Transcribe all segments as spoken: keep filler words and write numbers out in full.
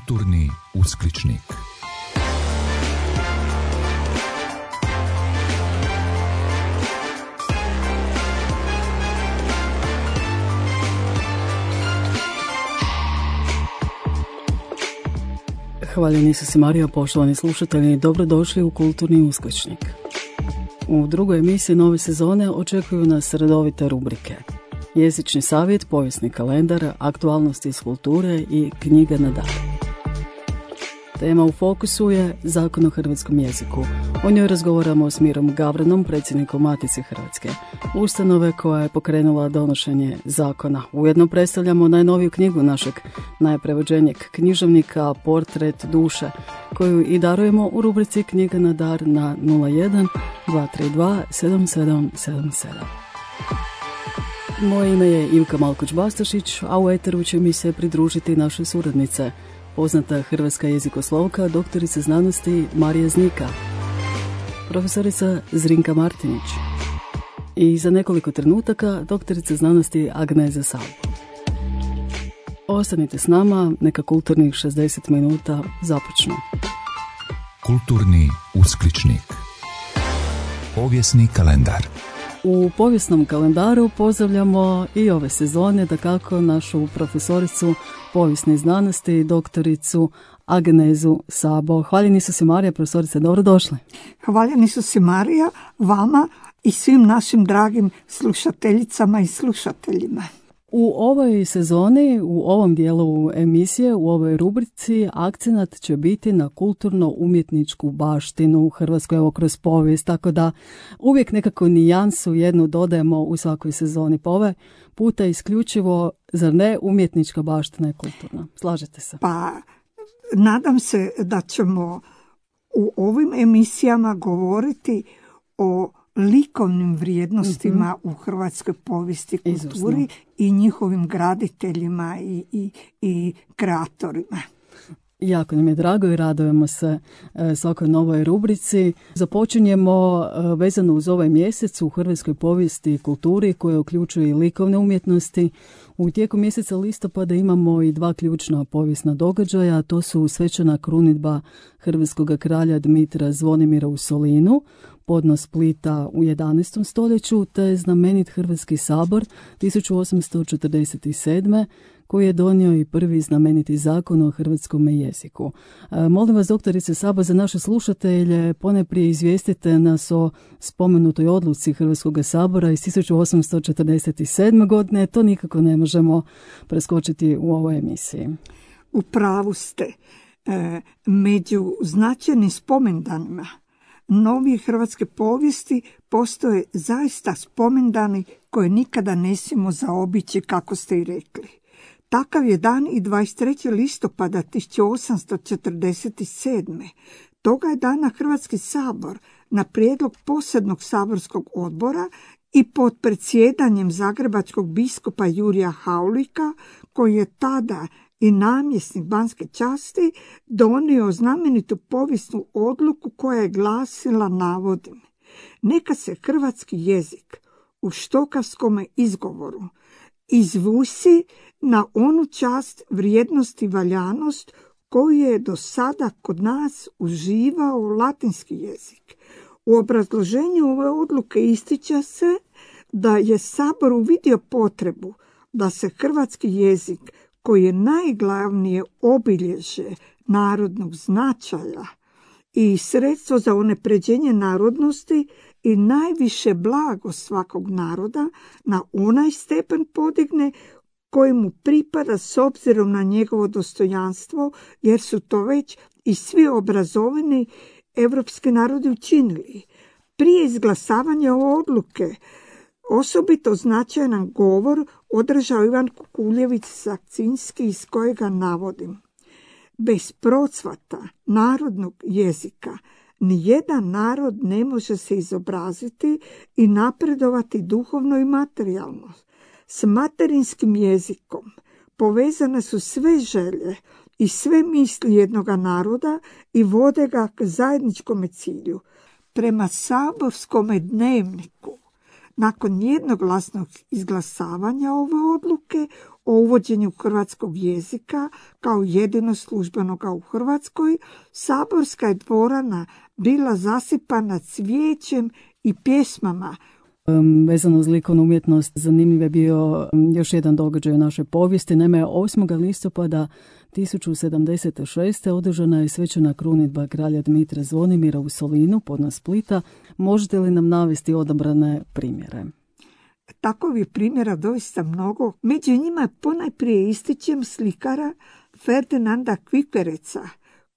Kulturni uskličnik. Hvaljeni Isus i Marija, poštovani slušatelji, dobrodošli u Kulturni uskličnik. U drugoj emisiji nove sezone očekuju nas redovite rubrike: jezični savjet, povijesni kalendar, aktualnosti iz kulture i knjiga na dar. Tema u fokusu je Zakon o hrvatskom jeziku. O njoj razgovaramo s Mirom Gavranom, predsjednikom Matice Hrvatske, ustanove koja je pokrenula donošenje zakona. Ujedno predstavljamo najnoviju knjigu našeg najprevođenijeg književnika Portret duše, koju i darujemo u rubrici Knjiga na dar na nula jedan dva tri dva sedam sedam sedam sedam. Moje ime je Ivka Malkoć-Bastašić, a u eteru će mi se pridružiti naše suradnice, poznata hrvatska jezikoslovka, doktorica znanosti Marija Znika, profesorica Zrinka Martinić i za nekoliko trenutaka doktorica znanosti Agneza Salvo. Ostanite s nama, neka kulturnih šezdeset minuta započnu. Kulturni uskličnik. Povijesni kalendar. U povijesnom kalendaru pozdravljamo i ove sezone, dakako, našu profesoricu povijesne znanosti, doktoricu Agnezu Sabo. Hvaljeni su si Marija, profesorice, dobrodošli. Hvaljeni su si Marija, vama i svim našim dragim slušateljicama i slušateljima. U ovoj sezoni, u ovom dijelu emisije, u ovoj rubrici, akcenat će biti na kulturno-umjetničku baštinu u Hrvatskoj, evo kroz povijest, tako da uvijek nekako nijansu jednu dodajemo u svakoj sezoni. Pa ovaj puta isključivo, zar ne, umjetnička baština je kulturna. Slažete se? Pa, nadam se da ćemo u ovim emisijama govoriti o likovnim vrijednostima mm-hmm. u hrvatskoj povijesti i kulturi. Izvrsno. I njihovim graditeljima i, i, i kreatorima. Jako nam je drago i radujemo se e, svakoj novoj rubrici. Započinjemo e, vezano uz ovaj mjesec u hrvatskoj povijesti i kulturi koje uključuje i likovne umjetnosti. U tijeku mjeseca listopada imamo i dva ključna povijesna događaja. To su svečana krunidba hrvatskog kralja Dmitra Zvonimira u Solinu, podnos Splita u jedanaestom stoljeću, te znamenit Hrvatski sabor tisuću osamsto četrdeset sedme. koji je donio i prvi znameniti zakon o hrvatskom jeziku. E, molim vas, doktorice Sabo, za naše slušatelje ponajprije izvijestite nas o spomenutoj odluci Hrvatskog sabora iz tisuću osamsto četrdeset sedme. godine. To nikako ne možemo preskočiti u ovoj emisiji. U pravu ste. E, među značajnim spomendanima novije hrvatske povijesti postoje zaista spomendani koje nikada ne smijemo zaobići, kako ste i rekli. Takav je dan i dvadeset trećeg listopada tisuću osamsto četrdeset sedme. Toga je dana Hrvatski sabor na prijedlog posebnog saborskog odbora i pod predsjedanjem zagrebačkog biskupa Jurija Haulika, koji je tada i namjesnik Banske časti, donio znamenitu povijesnu odluku koja je glasila, navodim: neka se hrvatski jezik u štokavskom izgovoru izvusi na onu čast, vrijednost i valjanost koju je do sada kod nas uživao latinski jezik. U obrazloženju ove odluke ističe se da je Sabor uvidio potrebu da se hrvatski jezik, koji je najglavnije obilježje narodnog značaja i sredstvo za unapređenje narodnosti i najviše blago svakog naroda, na onaj stepen podigne koji mu pripada s obzirom na njegovo dostojanstvo, jer su to već i svi obrazovani evropski narodi učinili. Prije izglasavanja ove odluke osobito značajan govor održao Ivan Kukuljević Sakcinski, iz kojega navodim: bez procvata narodnog jezika nijedan narod ne može se izobraziti i napredovati duhovno i materijalno. S materinskim jezikom povezane su sve želje i sve misli jednoga naroda i vode ga k zajedničkom cilju. Prema saborskome dnevniku Nakon jednoglasnog izglasavanja ove odluke o uvođenju hrvatskog jezika kao jedino službenoga u Hrvatskoj, saborska je dvorana bila zasipana cvijećem i pjesmama. Vezano uz likovnu umjetnost, zanimljiv je bio još jedan događaj u našoj povijesti. Naime, osmog listopada tisuću sedamdeset šeste. održana je svečana krunidba kralja Dmitra Zvonimira u Solinu, podno Splita. Možete li nam navesti odabrane primjere? Takovih primjera doista mnogo. Među njima ponajprije ističem slikara Ferdinanda Kvipereca,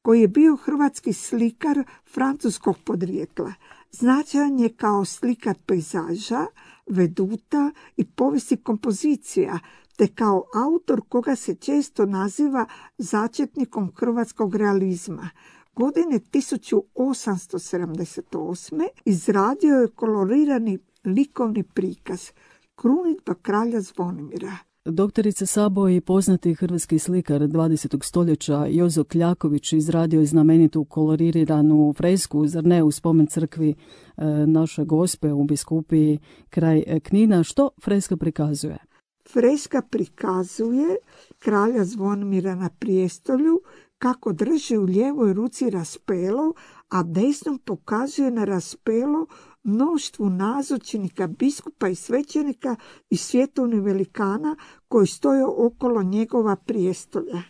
koji je bio hrvatski slikar francuskog podrijetla. Značajan je kao slikar pejzaža, veduta i povijesti kompozicija, te kao autor koga se često naziva začetnikom hrvatskog realizma. Godine tisuću osamsto sedamdeset osme. izradio je kolorirani likovni prikaz Krunidba kralja Zvonimira. Doktorica Sabo i poznati hrvatski slikar dvadesetog stoljeća Jozo Kljaković izradio je znamenitu koloriranu fresku, zar ne, u spomen crkvi e, naše Gospe u Biskupiji kraj Knina. Što freska prikazuje? Freska prikazuje kralja Zvonimira na prijestolju kako drži u lijevoj ruci raspelo, a desnom pokazuje na raspelo mnoštvu nazočnika, biskupa i svećenika i svjetovnih velikana koji stoje okolo njegova prijestolja.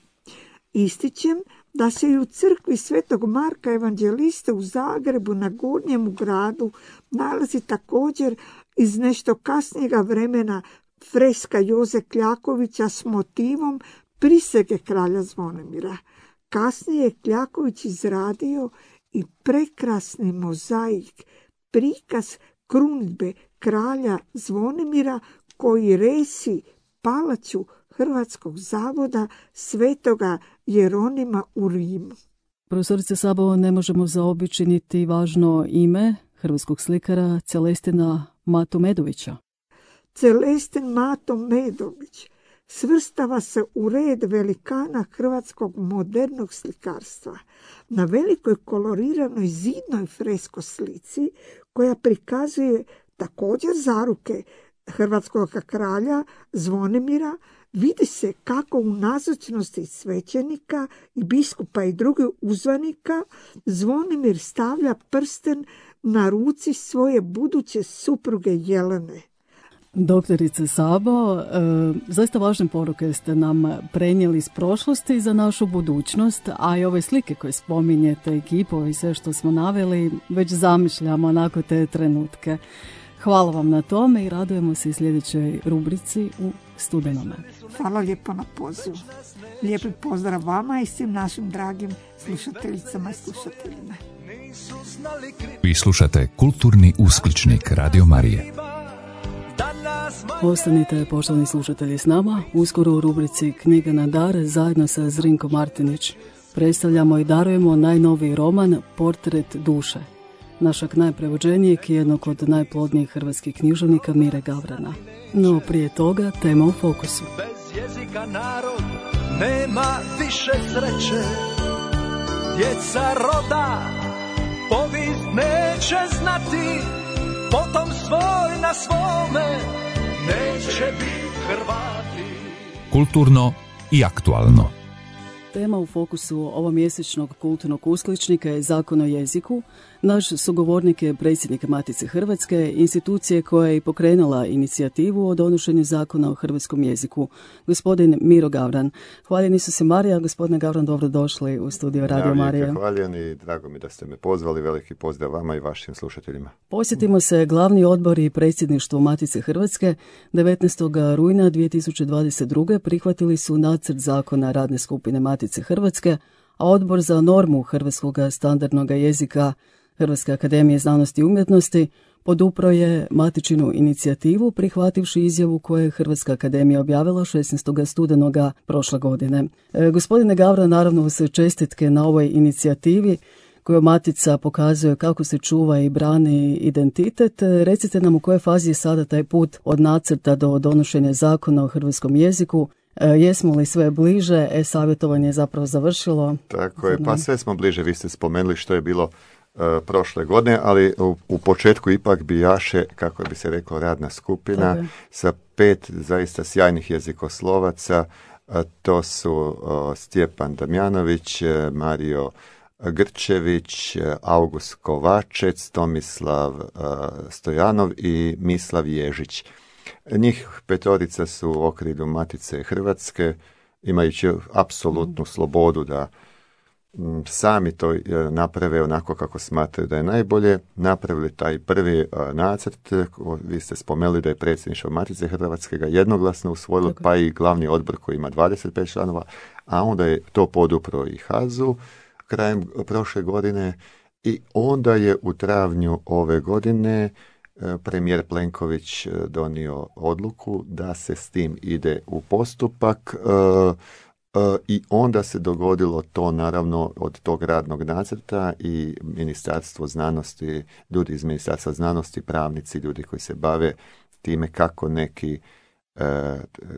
Ističem da se i u crkvi Svetog Marka Evanđeliste u Zagrebu na Gornjemu gradu nalazi također iz nešto kasnijega vremena freska Joze Kljakovića s motivom prisege kralja Zvonimira. Kasnije je Kljaković izradio i prekrasni mozaik, prikaz krunidbe kralja Zvonimira koji resi palaču Hrvatskog zavoda Svetoga Jeronima u Rimu. Profesorice Sabo, ne možemo zaobići niti važno ime hrvatskog slikara Celestina Matu Medovića. Celestin Mato Medović svrstava se u red velikana hrvatskog modernog slikarstva. Na velikoj koloriranoj zidnoj fresko slici koja prikazuje također zaruke hrvatskog kralja Zvonimira vidi se kako u nazočnosti svećenika i biskupa i drugih uzvanika Zvonimir stavlja prsten na ruci svoje buduće supruge Jelene. Doktorice Sabo, e, zaista važne poruke ste nam prenijeli iz prošlosti za našu budućnost, a i ove slike koje spominjete, ekipo i sve što smo naveli, već zamišljamo onako te trenutke. Hvala vam na tome i radujemo se i sljedećoj rubrici u studenome. Hvala lijepo na pozivu. Lijepi pozdrav vama i svim našim dragim slušateljicama i slušateljima. Vi slušate Kulturni uskličnik Radio Marije. Ostanite, poštovani slušatelji, s nama. Uskoro u rubrici Knjiga na dar zajedno sa Zrinko Martinić predstavljamo i darujemo najnoviji roman Portret duše našeg najprevođenijeg i jednog od najplodnijih hrvatskih književnika Mire Gavrana. No prije toga tema u fokusu. Bez jezika narod nema više sreće, djeca roda povijest neće znati, potom svoj na svome neće biti Hrvati. Kulturno i aktualno. Tema u fokusu ovomjesečnog kulturnog uskličnika je Zakon o jeziku. Naš sugovornik je predsjednik Matice Hrvatske, institucije koja je pokrenula inicijativu o donošenju Zakona o hrvatskom jeziku, gospodin Miro Gavran. Hvaljeni su se Marija, gospodine Gavran, dobrodošli u studio Radio Marije. Ja, hvaljen i drago mi da ste me pozvali, veliki pozdrav vama i vašim slušateljima. Posjetimo se glavni odbor i predsjedništvo Matice Hrvatske. devetnaestog rujna dvije tisuće dvadeset druge. prihvatili su nacrt zakona radne skupine Matice Hrvatske, a odbor za normu hrvatskog standardnog jezika Hrvatske akademije znanosti i umjetnosti podupro je matičinu inicijativu prihvativši izjavu koju je Hrvatska akademija objavila šesnaestog studenoga prošle godine. E, gospodine Gavran, naravno uz čestitke na ovoj inicijativi koju Matica pokazuje kako se čuva i brani identitet. Recite nam u kojoj fazi je sada taj put od nacrta do donošenja zakona o hrvatskom jeziku. E, jesmo li sve bliže? E-savjetovanje je zapravo završilo. Tako je, pa sve smo bliže. Vi ste spomenuli što je bilo prošle godine, ali u, u početku ipak bijaše, kako bi se reklo, radna skupina okay. sa pet zaista sjajnih jezikoslovaca. To su Stjepan Damjanović, Mario Grčević, August Kovačec, Tomislav Stojanov i Mislav Ježić. Njih petorica su u okrilju Matice Hrvatske, imajući apsolutnu slobodu da sami to naprave onako kako smatraju da je najbolje. Napravili taj prvi nacrt, vi ste spomenuli da je predsjedništvo Matice Hrvatske ga jednoglasno usvojilo, pa i glavni odbor koji ima dvadeset pet članova, a onda je to podupro i Hazu krajem prošle godine i onda je u travnju ove godine premijer Plenković donio odluku da se s tim ide u postupak i onda se dogodilo to naravno od tog radnog nacrta i Ministarstvo znanosti, ljudi iz Ministarstva znanosti, pravnici, ljudi koji se bave time kako neki,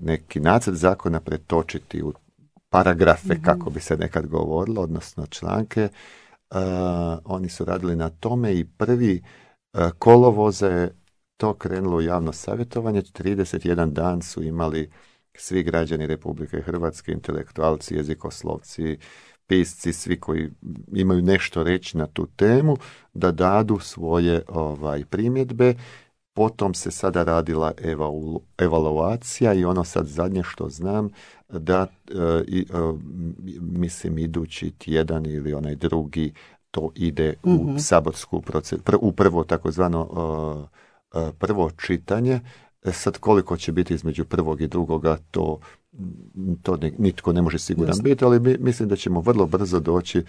neki nacrt zakona pretočiti u paragrafe, mm-hmm. kako bi se nekad govorilo, odnosno članke. Uh, oni su radili na tome i prvi uh, kolovoza je to krenulo u javno savjetovanje. trideset jedan dan su imali svi građani Republike Hrvatske, intelektualci, jezikoslovci, pisci, svi koji imaju nešto reći na tu temu, da dadu svoje ovaj, primjedbe. Potom se sada radila evalu, evaluacija i ono sad zadnje što znam da e, i, e, mislim idući tjedan ili onaj drugi to ide mm-hmm. u saborsku proceduru, pr, u prvo takozvano e, e, prvo čitanje. E, sad koliko će biti između prvog i drugoga to, to ne, nitko ne može siguran Jasne. biti, ali mi, mislim da ćemo vrlo brzo doći e,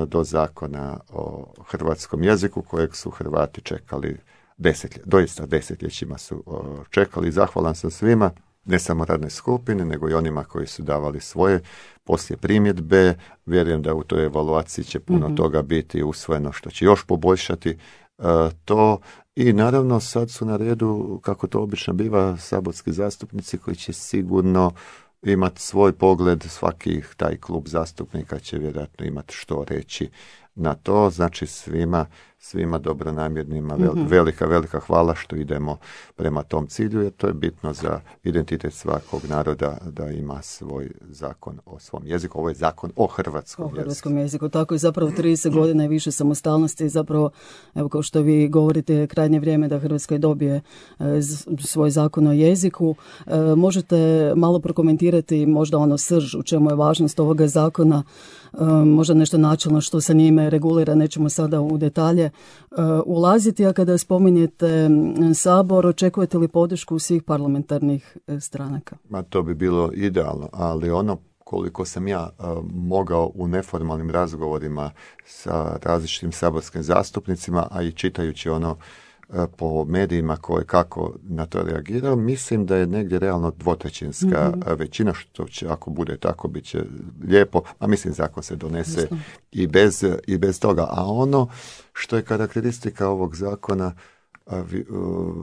do zakona o hrvatskom jeziku kojeg su Hrvati čekali Desetlje, doista desetljećima su o, čekali. Zahvalan sam svima, ne samo radne skupine, nego i onima koji su davali svoje poslije primjedbe. Vjerujem da u toj evaluaciji će puno mm-hmm. toga biti usvojeno što će još poboljšati uh, to. I naravno sad su na redu, kako to obično biva, saborski zastupnici koji će sigurno imati svoj pogled. Svaki taj klub zastupnika će vjerojatno imati što reći na to. Znači svima svima dobronamjernima mm-hmm. velika, velika hvala što idemo prema tom cilju, jer to je bitno za identitet svakog naroda da ima svoj zakon o svom jeziku. Ovo je zakon o hrvatskom jeziku. O hrvatskom jeziku, tako i zapravo trideset godina i više samostalnosti, zapravo, evo kao što vi govorite, krajnje vrijeme da Hrvatska dobije e, svoj zakon o jeziku. E, možete malo prokomentirati možda ono srž, u čemu je važnost ovoga zakona, e, možda nešto načelno što se njime regulira, nećemo sada u detalje Uh, ulaziti, a kada spominjete Sabor, očekujete li podršku svih parlamentarnih uh, stranaka? Ma to bi bilo idealno, ali ono koliko sam ja uh, mogao u neformalnim razgovorima sa različitim saborskim zastupnicima, a i čitajući ono uh, po medijima koje kako na to reagirao, mislim da je negdje realno dvotrećinska mm-hmm. većina, što će, ako bude tako, bit će lijepo, a mislim zakon se donese i bez, i bez toga. A ono što je karakteristika ovog zakona, a vi, uh,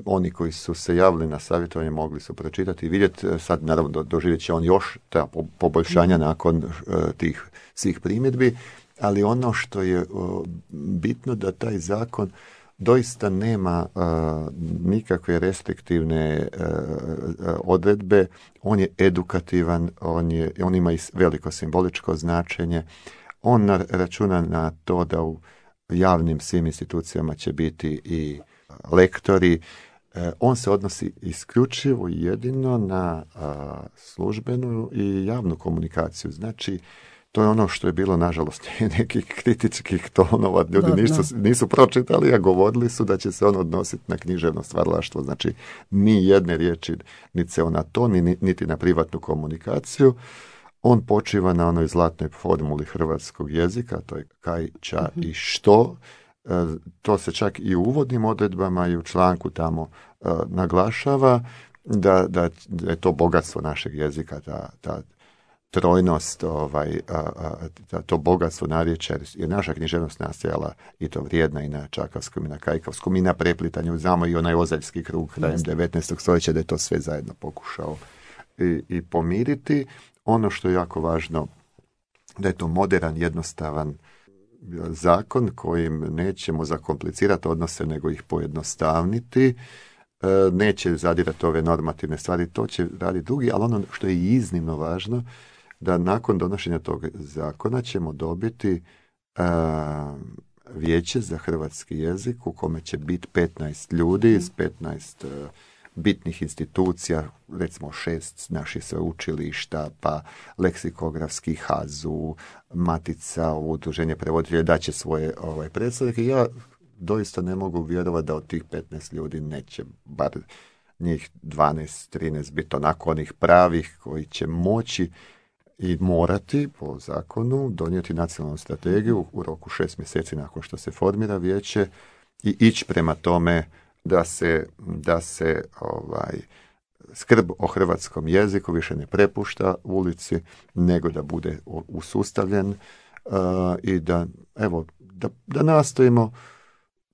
oni koji su se javili na savjetovanje mogli su pročitati i vidjeti, sad naravno do, doživjet će on još ta po, poboljšanja mm. nakon uh, tih svih primjedbi, ali ono što je uh, bitno da taj zakon doista nema uh, nikakve restriktivne uh, odredbe, on je edukativan, on, je, on ima i veliko simboličko značenje, on na, računa na to da u javnim svim institucijama će biti i lektori. E, on se odnosi isključivo jedino na a, službenu i javnu komunikaciju. Znači, to je ono što je bilo, nažalost, nekih kritičkih tonova. Ljudi da, nisu, da. nisu pročitali, a govorili su da će se on odnositi na književno stvaralaštvo. Znači, ni jedne riječi niti se na to, ni, niti na privatnu komunikaciju. On počiva na onoj zlatnoj formuli hrvatskog jezika, to je kaj, ča mm-hmm. i što. E, to se čak i u uvodnim odredbama i u članku tamo e, naglašava da, da, da je to bogatstvo našeg jezika, ta, ta trojnost, ovaj, a, a, ta, to bogatstvo narječja, jer naša književnost nastajala i to vrijedna i na čakavskom i na kajkavskom i na preplitanju. Znamo i onaj ozaljski krug krajem devetnaestog stoljeća da je to sve zajedno pokušao i, i pomiriti. Ono što je jako važno, da je to moderan, jednostavan, zakon kojim nećemo zakomplicirati odnose, nego ih pojednostavniti. Neće zadirati ove normativne stvari, to će raditi drugi, ali ono što je iznimno važno, da nakon donošenja tog zakona ćemo dobiti a, vijeće za hrvatski jezik u kome će biti petnaest ljudi iz petnaest a, bitnih institucija, recimo šest naših sveučilišta, pa leksikografski hazu, Matica, udruženje prevoditelja, da će svoje ovaj, predstavnike. Ja doista ne mogu vjerovati da od tih petnaest ljudi neće bar njih dvanaest trinaest biti onako onih pravih koji će moći i morati po zakonu donijeti nacionalnu strategiju u roku šest mjeseci nakon što se formira vijeće i ići prema tome da se, da se ovaj, skrb o hrvatskom jeziku više ne prepušta ulici, nego da bude usustavljen uh, i da, evo, da, da nastojimo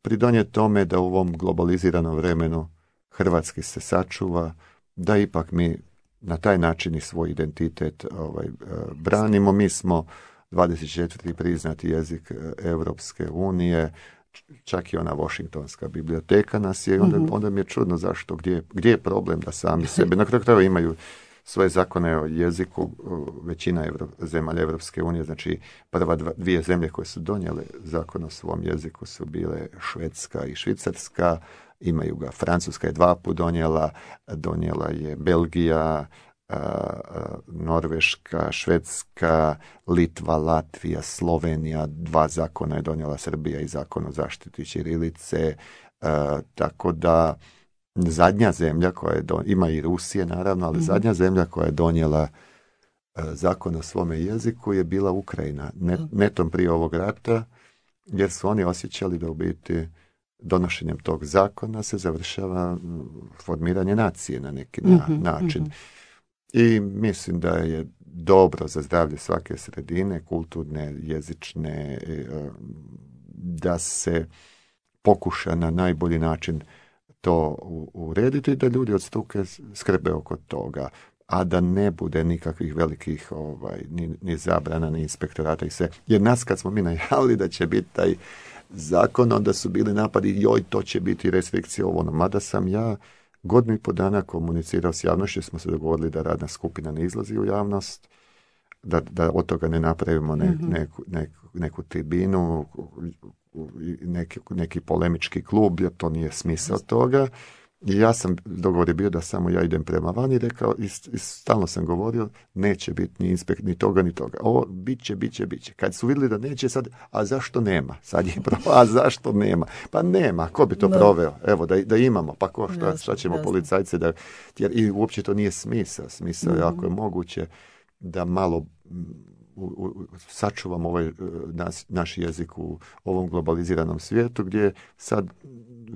pridonijeti tome da u ovom globaliziranom vremenu hrvatski se sačuva, da ipak mi na taj način i svoj identitet ovaj, branimo. Mi smo dvadeset četvrti priznati jezik Europske unije, čak i ona Washingtonska biblioteka nas je, onda, onda mi je čudno zašto, gdje, gdje je problem da sami sebe, na kraju krajeva imaju svoje zakone o jeziku, većina Evro, zemalja Evropske unije, znači prva dva, dvije zemlje koje su donijele zakon o svom jeziku su bile Švedska i Švicarska, imaju ga, Francuska je dva put donijela, donijela je Belgija, a, a, Norveška, Švedska, Litva, Latvija, Slovenija, dva zakona je donijela Srbija i zakon o zaštiti ćirilice, a, tako da zadnja zemlja koja je don... ima i Rusije naravno, ali mm-hmm. zadnja zemlja koja je donijela uh, zakon o svome jeziku je bila Ukrajina, Net, netom prije ovog rata, jer su oni osjećali da u biti donošenjem tog zakona se završava formiranje nacije na neki na, mm-hmm. način. Mm-hmm. I mislim da je dobro za zdravlje svake sredine, kulturne, jezične, uh, da se pokuša na najbolji način to urediti i da ljudi od struke skrbe oko toga, a da ne bude nikakvih velikih ovaj, ni, ni zabrana, ni inspektorata i sve. Jer nas kad smo mi najavili da će biti taj zakon, onda su bili napadi, joj, to će biti restrikcija ovo, no, mada sam ja godinu i po dana komunicirao s javnošću, smo se dogovorili da radna skupina ne izlazi u javnost, da, da od toga ne napravimo ne, mm-hmm. neku, neku, neku tribinu, Neki, neki polemički klub, jer to nije smisao toga. I ja sam, dogovor je bio da samo ja idem prema van i rekao, i, i stalno sam govorio, neće biti ni inspekt, ni toga, ni toga. Ovo, bit će, bit će, bit će. Kad su vidjeli da neće, sad, a zašto nema? Sad je pro, a zašto nema? Pa nema, ko bi to no. proveo? Evo, da, da imamo, pa ko, šta, jasno, šta ćemo jasno. Policajce da, jer i uopće to nije smisao. Smisao je, mm-hmm. ako je moguće, da malo U, u, sačuvamo ovaj nas, naš jezik u ovom globaliziranom svijetu gdje sad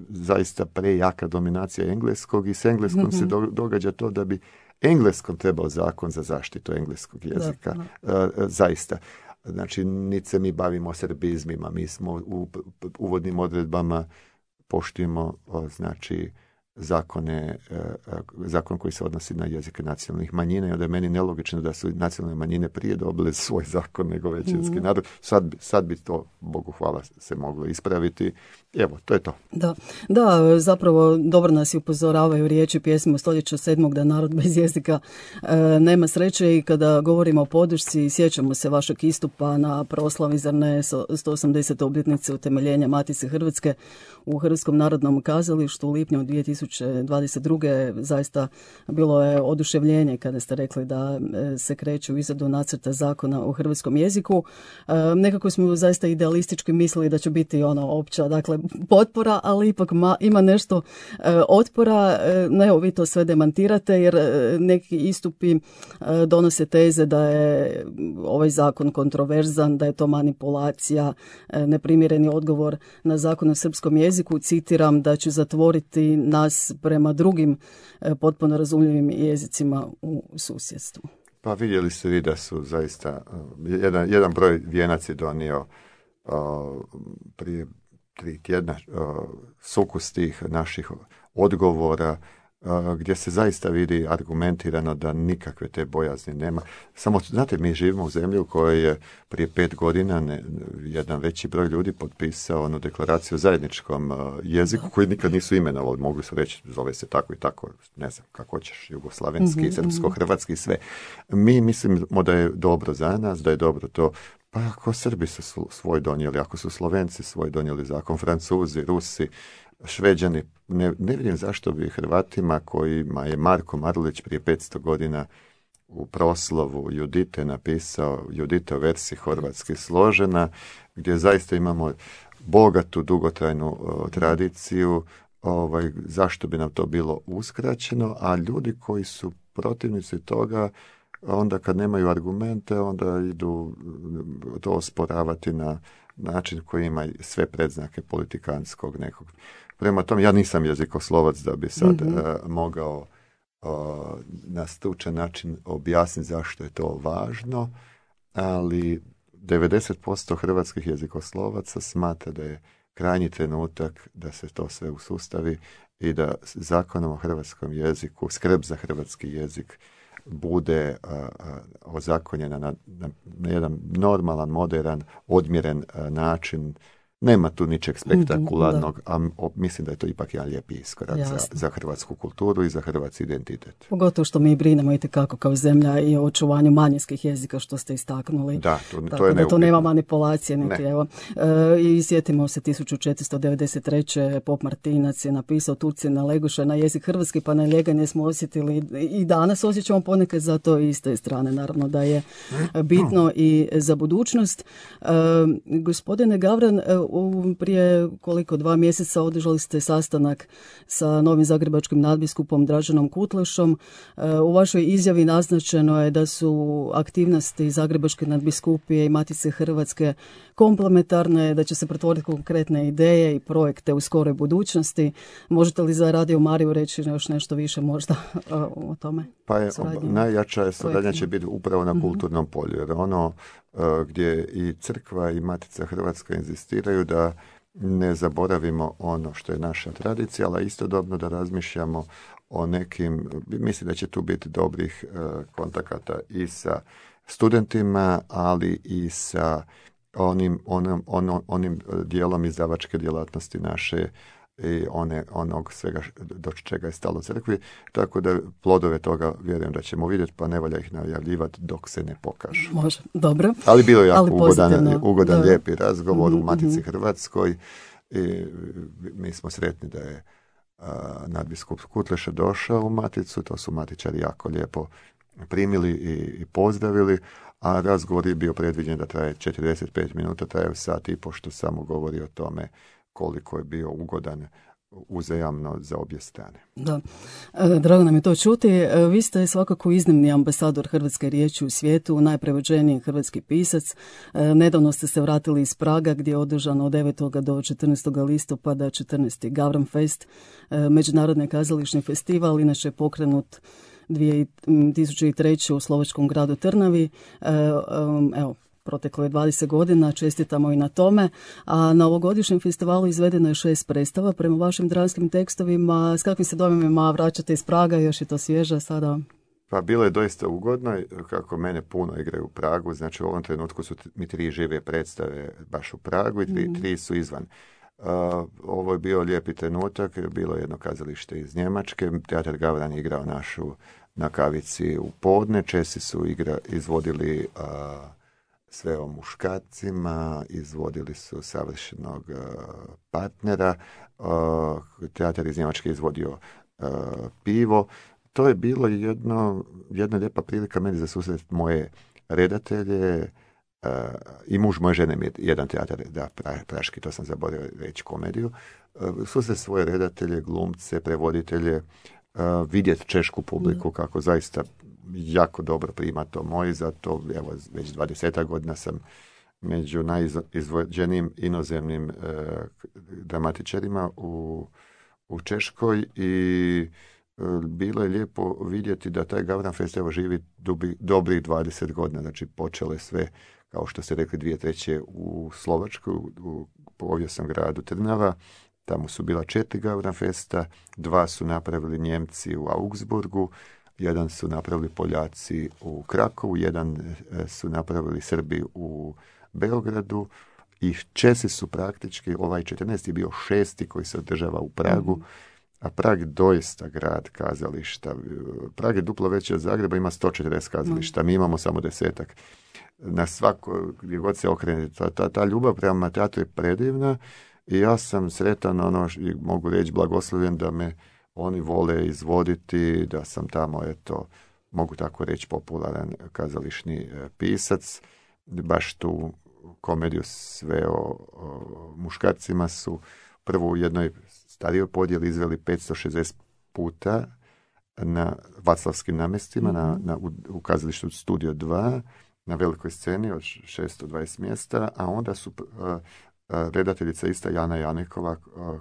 zaista prejaka dominacija engleskog i s engleskom mm-hmm. se do, događa to da bi engleskom trebao zakon za zaštitu engleskog jezika. Da, da. Uh, zaista. Znači, niti se mi bavimo serbizmima, mi smo u uvodnim odredbama poštujemo znači zakone, zakon koji se odnosi na jezike nacionalnih manjina i onda je meni nelogično da su nacionalne manjine prije dobile svoj zakon nego većinski mm. narod. Sad, sad bi to, Bogu hvala, se moglo ispraviti. Evo, to je to. Da, da, zapravo dobro nas i upozoravaju riječi pjesme stoljeća sedmog da narod bez jezika e, nema sreće i kada govorimo o podršci, sjećamo se vašeg istupa na proslavi zar ne sto osamdesete obljetnice utemeljenja Matice Hrvatske u Hrvatskom narodnom kazalištu u lipnju dvije tisuće dvadeset druge. Zaista bilo je oduševljenje kada ste rekli da se kreće u izradu nacrta zakona o hrvatskom jeziku. E, nekako smo zaista idealistički mislili da će biti ono opća, dakle, potpora, ali ipak ma, ima nešto e, otpora. E, ne, evo, vi to sve demantirate jer e, neki istupi e, donose teze da je ovaj zakon kontroverzan, da je to manipulacija, e, neprimjereni odgovor na zakon o srpskom jeziku. Citiram da će zatvoriti nas prema drugim e, potpuno razumljivim jezicima u susjedstvu. Pa vidjeli ste vi da su zaista jedan, jedan broj vijenac je donio o, prije tri tjedna o, sukus tih naših odgovora gdje se zaista vidi argumentirano da nikakve te bojazni nema. Samo, znate, mi živimo u zemlji u kojoj je prije pet godina ne, jedan veći broj ljudi potpisao onu deklaraciju o zajedničkom uh, jeziku koji nikad nisu imenovali. Mogli su reći, zove se tako i tako, ne znam, kako hoćeš, jugoslavenski, mm-hmm, srpsko-hrvatski, sve. Mi mislimo da je dobro za nas, da je dobro to. Pa ako Srbi su svoj donijeli, ako su Slovenci svoj donijeli zakon, Francuzi, Rusi, Šveđani, ne, ne vidim zašto bi Hrvatima kojima je Marko Marulić prije petsto godina u proslovu Judite napisao Judite u versiji horvatski složena, gdje zaista imamo bogatu, dugotrajnu uh, tradiciju, ovaj, zašto bi nam to bilo uskraćeno, a ljudi koji su protivnici toga, onda kad nemaju argumente, onda idu to osporavati na način koji ima sve predznake politikanskog nekog. Prema tome, ja nisam jezikoslovac da bi sad mm-hmm. uh, mogao uh, na stručan način objasniti zašto je to važno, ali devedeset posto hrvatskih jezikoslovaca smatra da je krajnji trenutak da se to sve usustavi i da zakonom o hrvatskom jeziku, skrb za hrvatski jezik bude uh, uh, ozakonjena na, na, na jedan normalan, modern, odmjeren uh, način. Nema tu ničeg spektakularnog, a mislim da je to ipak jedan lijepi iskorak za, za hrvatsku kulturu i za hrvatski identitet. Pogotovo što mi brinemo itekako kao zemlja i o očuvanju manjinskih jezika, što ste istaknuli. Da, to, Tako to je da neupitno. To nema manipulacije. Neke, ne. Evo. E, I sjetimo se tisuću četiristo devedeset treće. Pop Martinac je napisao Turci na Leguša na jezik hrvatski, pa na ljeganje smo osjetili i danas osjećamo ponekad za to iste strane. Naravno da je bitno i za budućnost. E, gospodine Gavran, U, prije koliko dva mjeseca održali ste sastanak sa novim zagrebačkim nadbiskupom Draženom Kutlešom. U vašoj izjavi naznačeno je da su aktivnosti Zagrebačke nadbiskupije i Matice Hrvatske komplementarne, da će se pretvoriti konkretne ideje i projekte u skoroj budućnosti. Možete li za Radio Mariju reći još nešto više možda o tome? Pa je, najjača suradnja će biti upravo na kulturnom polju, jer ono uh, gdje i crkva i Matica Hrvatska inzistiraju da ne zaboravimo ono što je naša tradicija, ali istodobno da razmišljamo o nekim, mislim da će tu biti dobrih uh, kontakata i sa studentima, ali i sa onim, onom, onom, onim dijelom izdavačke djelatnosti naše i one, onog svega do čega je stalo crkvi, tako da plodove toga vjerujem da ćemo vidjeti, pa ne valja ih najavljivati dok se ne pokažu. Može, dobro. Ali bilo je jako Ali ugodan, ugodan da. lijepi razgovor mm-hmm. u Matici mm-hmm. Hrvatskoj i mi smo sretni da je uh, nadbiskup Kutleša došao u Maticu, to su matičari jako lijepo primili i, i pozdravili, a razgovor je bio predviđen da traje četrdeset pet minuta, traje sat i pošto samo govori o tome koliko je bio ugodan uzajamno za obje strane. Da, e, drago nam je to čuti. E, vi ste svakako iznimni ambasador hrvatske riječi u svijetu, najprevođeniji hrvatski pisac. E, nedavno ste se vratili iz Praga gdje je održano od devetog do četrnaestog listopada četrnaesti Gavran Fest, e, međunarodni kazališni festival, inače pokrenut dvije tisuće treće. u slovačkom gradu Trnavi. E, um, evo, proteklo je dvadeset godina, čestitamo i na tome. A na ovogodišnjem festivalu izvedeno je šest predstava. Prema vašim dranskim tekstovima, s kakvim se dojmima vraćate iz Praga, još je to svježe sada? Pa bilo je doista ugodno, kako mene puno igraju u Pragu, znači u ovom trenutku su mi tri žive predstave baš u Pragu i tri, mm. tri su izvan. Uh, ovo je bio lijepi trenutak, bilo je jedno kazalište iz Njemačke, Teatar Gavran je igrao našu na kavici u podne, Česi su igra, izvodili uh, sve o muškarcima, izvodili su savršenog uh, partnera, uh, teatar iz Njemačke izvodio uh, pivo. To je bilo jedno, jedna lijepa prilika meni za susret moje redatelje uh, i muž moje žene mi je jedan teatar, da, pra, praški, to sam zaboravio reći, komediju. Uh, susret svoje redatelje, glumce, prevoditelje, uh, vidjeti češku publiku kako zaista jako dobro prima to moj, zato evo, već dvadeset godina sam među najizvođenijim inozemnim e, dramatičarima u, u Češkoj i e, bilo je lijepo vidjeti da taj Gavran Fest evo živi dubi, dobrih dvadeset godina, znači počelo je sve, kao što ste rekli, dvije treće u Slovačkoj, u, u povijesnom gradu Trnava, tamo su bila četiri Gavran Festa, dva su napravili Njemci u Augsburgu, jedan su napravili Poljaci u Krakovu, jedan su napravili Srbi u Beogradu i Česi su praktički, ovaj četrnaesti je bio šesti koji se održava u Pragu, mm. a Prag doista grad kazališta. Prag je duplo veći od Zagreba, ima sto četrdeset kazališta, mm. mi imamo samo desetak. Na svako, gdje god se okrene, ta, ta, ta ljubav prema teatru je predivna i ja sam sretan, ono, mogu reći blagoslovljen da me oni vole izvoditi, da sam tamo, eto, mogu tako reći, popularan kazališni pisac. Baš tu komediju sve o, o muškarcima su prvo u jednoj starijoj podjeli izveli petsto šezdeset puta na Vaclavskim namjestima, mm-hmm. na, na, u, u kazalištu Studio dva, na velikoj sceni od šesto dvadeset mjesta, a onda su uh, redateljica ista Jana Janekova,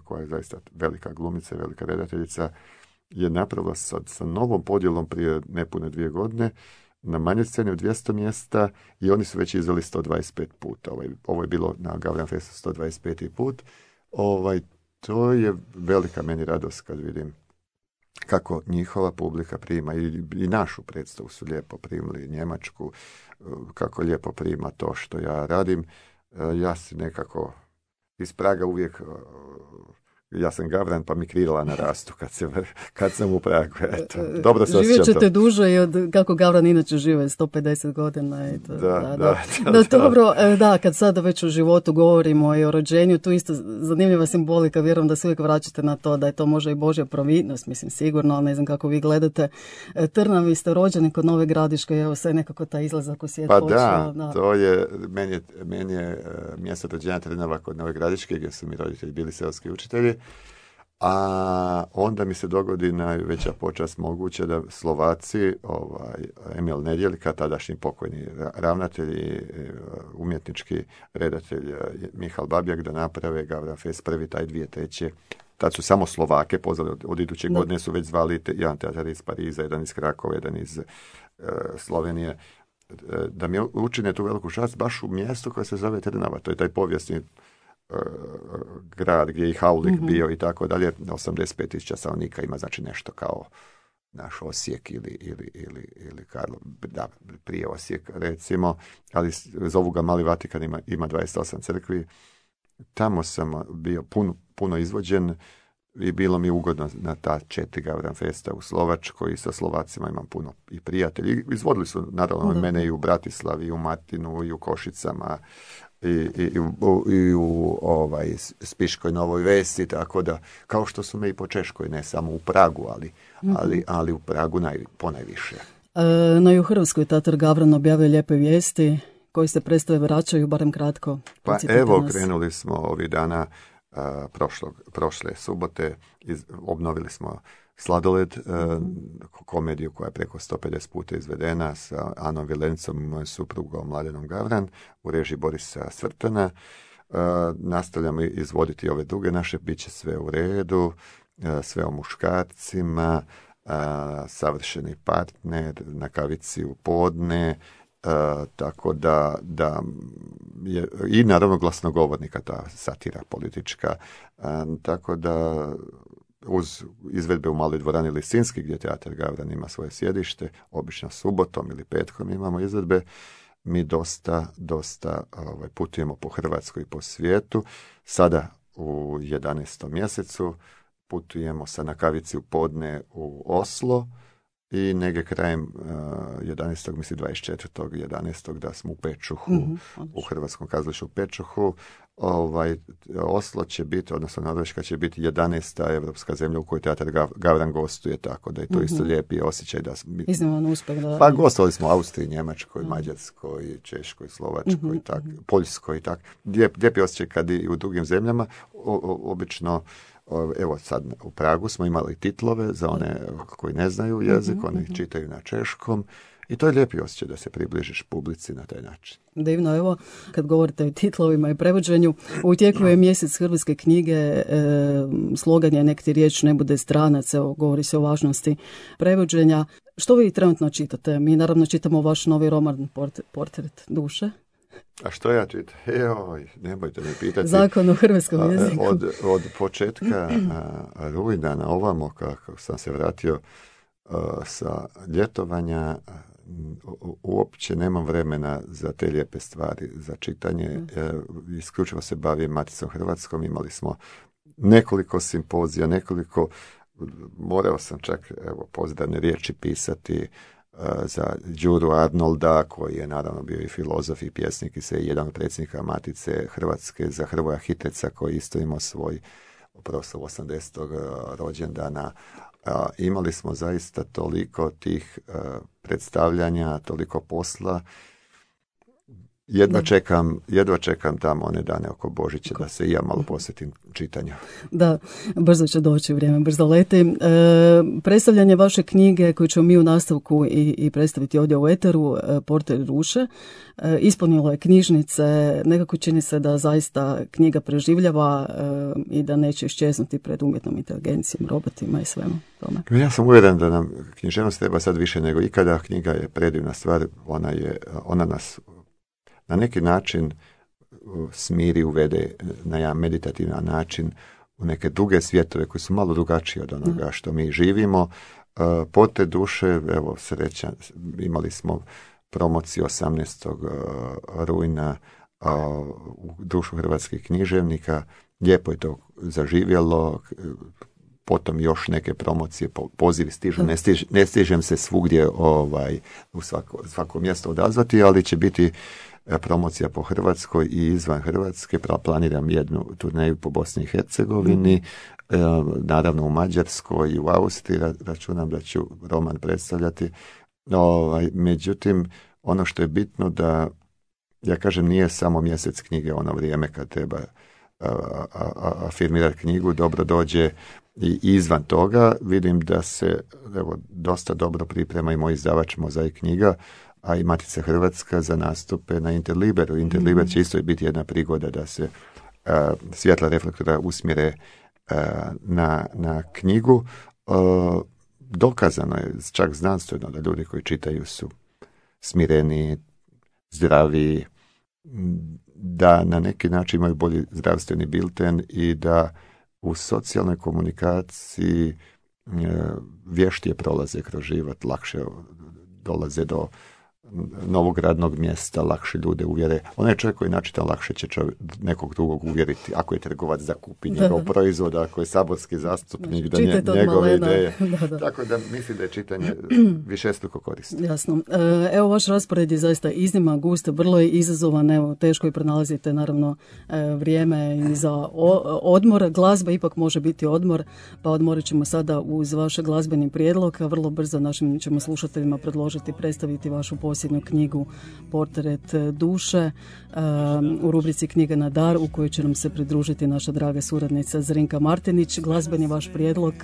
koja je zaista velika glumica, velika redateljica, je napravila sa, sa novom podjelom prije nepune dvije godine na manjoj sceni od dvjesto mjesta i oni su već izveli sto dvadeset pet puta. Ovo je, ovo je bilo na Gavran Festu sto dvadeset peti put. Ovaj, to je velika meni radost kad vidim kako njihova publika prima i, i našu predstavu su lijepo primili, Njemačku, kako lijepo prima to što ja radim. Ja si nekako iz Praga uvijek, ja sam Gavran pa mi krila na rastu kad, se, kad sam u Pragu. Eto, dobro se osjećam. Živjet ćete duže i od kako Gavran inače žive, sto pedeset godina. I to, da, da, da, da. da, No, da. dobro, da, kad sada već o životu govorimo i o rođenju, tu isto zanimljiva simbolika, vjerujem da se uvijek vraćate na to da je to možda i Božja providnost, mislim sigurno, ali ne znam kako vi gledate. Trnav, vi ste rođeni kod Nove Gradiške, evo sve nekako taj izlazak u svijet pa počeo. Da, da, to je, meni je, meni je mjesto rođenja Trnava kod Nove Gradiške, gdje su mi roditelji bili seoski učitelji. A onda mi se dogodi najveća počast moguće da Slovaci, ovaj, Emil Nedjeljka, tadašnji pokojni ravnatelj i umjetnički redatelj Mihal Babjak, da naprave Gavran Fest prvi taj dvije treće. Tad su samo Slovake pozvali, od, od iduće no. godine su već zvali te, jedan teatar iz Pariza, jedan iz Krakova, jedan iz uh, Slovenije, da mi učine tu veliku čast baš u mjestu koje se zove Trnava. To je taj povijesni grad gdje je i Haulik mm-hmm. bio i tako dalje, osamdeset pet tisuća stanovnika ima, znači nešto kao naš Osijek ili, ili, ili, ili Karlo, da, prije Osijek recimo, ali zovu ga Mali Vatikan, ima, ima dvadeset osam crkvi. Tamo sam bio puno, puno izvođen i bilo mi ugodno na ta četiri Gavran Festa u Slovačkoj i sa Slovacima imam puno i prijatelji. Izvodili su naravno mm-hmm. mene i u Bratislavi, i u Martinu, i u Košicama, i, i, i, u, i u ovaj, Spiškoj Novoj Vesti, tako da, kao što su me i po Češkoj, ne samo u Pragu, ali, mm-hmm. ali, ali u Pragu naj, ponajviše. E, no i u Hrvatskoj Teatar Gavran objavio lijepe vijesti koji se predstave vraćaju, barem kratko. Pa evo, nas. Krenuli smo ovih dana, a, prošlog, prošle subote, iz, obnovili smo Sladoled, mm-hmm. komediju koja je preko sto pedeset puta izvedena sa Anom Vilencom, mojom suprugom Mladenom Gavran, u režiji Borisa Svrtana. Uh, nastavljamo izvoditi ove druge naše, bit će sve u redu, uh, sve o muškarcima, uh, savršeni partner, na kavici u podne, uh, tako da, da je, i naravno glasnogovornika, ta satira politička, uh, tako da uz izvedbe u Maloj dvorani Lisinski, gdje Teatar Gavran ima svoje sjedište, obično subotom ili petkom imamo izvedbe, mi dosta, dosta ovaj, putujemo po Hrvatskoj i po svijetu. Sada u jedanaestom mjesecu putujemo sa na kavici u podne u Oslo i negdje krajem uh, jedanaestog mislim dvadeset četvrtog jedanaestog da smo u Pečuhu, mm-hmm. u Hrvatskom kazalištu u Pečuhu. Ovaj, Oslo će biti, odnosno Norveška će biti jedanaesta evropska zemlja u kojoj Teatar Gavran gostuje, tako da je to mm-hmm. isto lijepi osjećaj. Da smo, izniman uspjeh. Da... Pa gostovali smo u Austriji, Njemačkoj, mm-hmm. Mađarskoj, Češkoj, Slovačkoj, mm-hmm. tak, Poljskoj i tako. Lijep, lijepi osjećaj kad i u drugim zemljama. O, o, obično, o, evo sad u Pragu smo imali titlove za one koji ne znaju jezik, mm-hmm. oni čitaju na češkom. I to je lijepi osjećaj da se približiš publici na taj način. Divno, evo, kad govorite o titlovima i prevođenju, u tijeku je mjesec hrvatske knjige, e, slogan je nek ti riječ ne bude stranac, evo, govori se o važnosti prevođenja. Što vi trenutno čitate? Mi naravno čitamo vaš novi roman Portret duše. A što ja čitam? Joj, nemojte me pitati. Zakon o hrvatskom jeziku. Od, od početka a, rujna na ovamo, kako sam se vratio a, sa ljetovanja, u, uopće nemam vremena za te lijepe stvari, za čitanje. Mm. E, isključivo se bavim Maticom Hrvatskom. Imali smo nekoliko simpozija, nekoliko, morao sam čak evo, pozdravne riječi pisati za Đuru Arnolda, koji je naravno bio i filozof i pjesnik i sve jedan od predsjednika Matice Hrvatske, za Hrvoja Hiteca, koji isto imao svoj proslav osamdesetog rođendana. Imali smo zaista toliko tih predstavljanja, toliko posla. Jedva čekam, jedva čekam tamo one dane oko Božića da se i ja malo posvetim čitanju. Da, brzo će doći vrijeme, brzo leti. E, predstavljanje vaše knjige koju ćemo mi u nastavku i, i predstaviti ovdje u eteru, e, Porter Duše, e, ispunilo je knjižnice. Nekako čini se da zaista knjiga preživljava e, i da neće iščeznuti pred umjetnom inteligencijom, robotima i svemu tome. Ja sam uvjeren da nam književnost treba sad više nego ikada. Knjiga je predivna stvar, ona, je, ona nas na neki način smiri, uvede na jedan meditativan način u neke druge svjetove koji su malo drugačiji od onoga što mi živimo. Porter duše, evo sreća, imali smo promociju osamnaestog rujna u Društvu hrvatskih književnika. Lijepo je to zaživjelo. Potom još neke promocije, pozivi stižu, ne, stiž, ne stižem se svugdje ovaj, u svako, svako mjesto odazvati, ali će biti promocija po Hrvatskoj i izvan Hrvatske. Planiram jednu turneju po Bosni i Hercegovini, mm. naravno u Mađarskoj i u Austriji, računam da ću roman predstavljati. Ovaj, međutim, ono što je bitno da, ja kažem, nije samo mjesec knjige ono vrijeme kad treba afirmirati knjigu, dobro dođe i izvan toga. Vidim da se evo, dosta dobro priprema i moj izdavač Mozaik knjiga, a i Matica Hrvatska za nastupe na Interliberu. Interliber mm. će isto biti jedna prigoda da se uh, svjetla reflektora usmjere uh, na, na knjigu. Uh, dokazano je, čak znanstveno, da ljudi koji čitaju su smireni, zdravi, da na neki način imaju bolji zdravstveni bilten i da u socijalnoj komunikaciji uh, vještije prolaze kroz život, lakše dolaze do novog radnog mjesta, lakše ljude uvjere. Onaj čovjek koji načita lakše će čovjek, nekog drugog uvjeriti, ako je trgovac da kupi njegov proizvod, ako je saborski zastupnik, da nje, njegove ideje. Da, da. Tako da mislim da je čitanje višestruko korisno. Jasno. Evo, vaš raspored je zaista iznimno gust, vrlo je izazovan, evo, teško i pronalazite naravno vrijeme i za odmor. Glazba ipak može biti odmor, pa odmorit ćemo sada uz vaš glazbeni prijedlog, a vrlo brzo našim ćemo slušateljima predložiti predstaviti vašu posljednju knjigu Portret duše um, u rubrici Knjiga na dar, u kojoj će nam se pridružiti naša draga suradnica Zrinka Martinić. Glazbeni vaš prijedlog?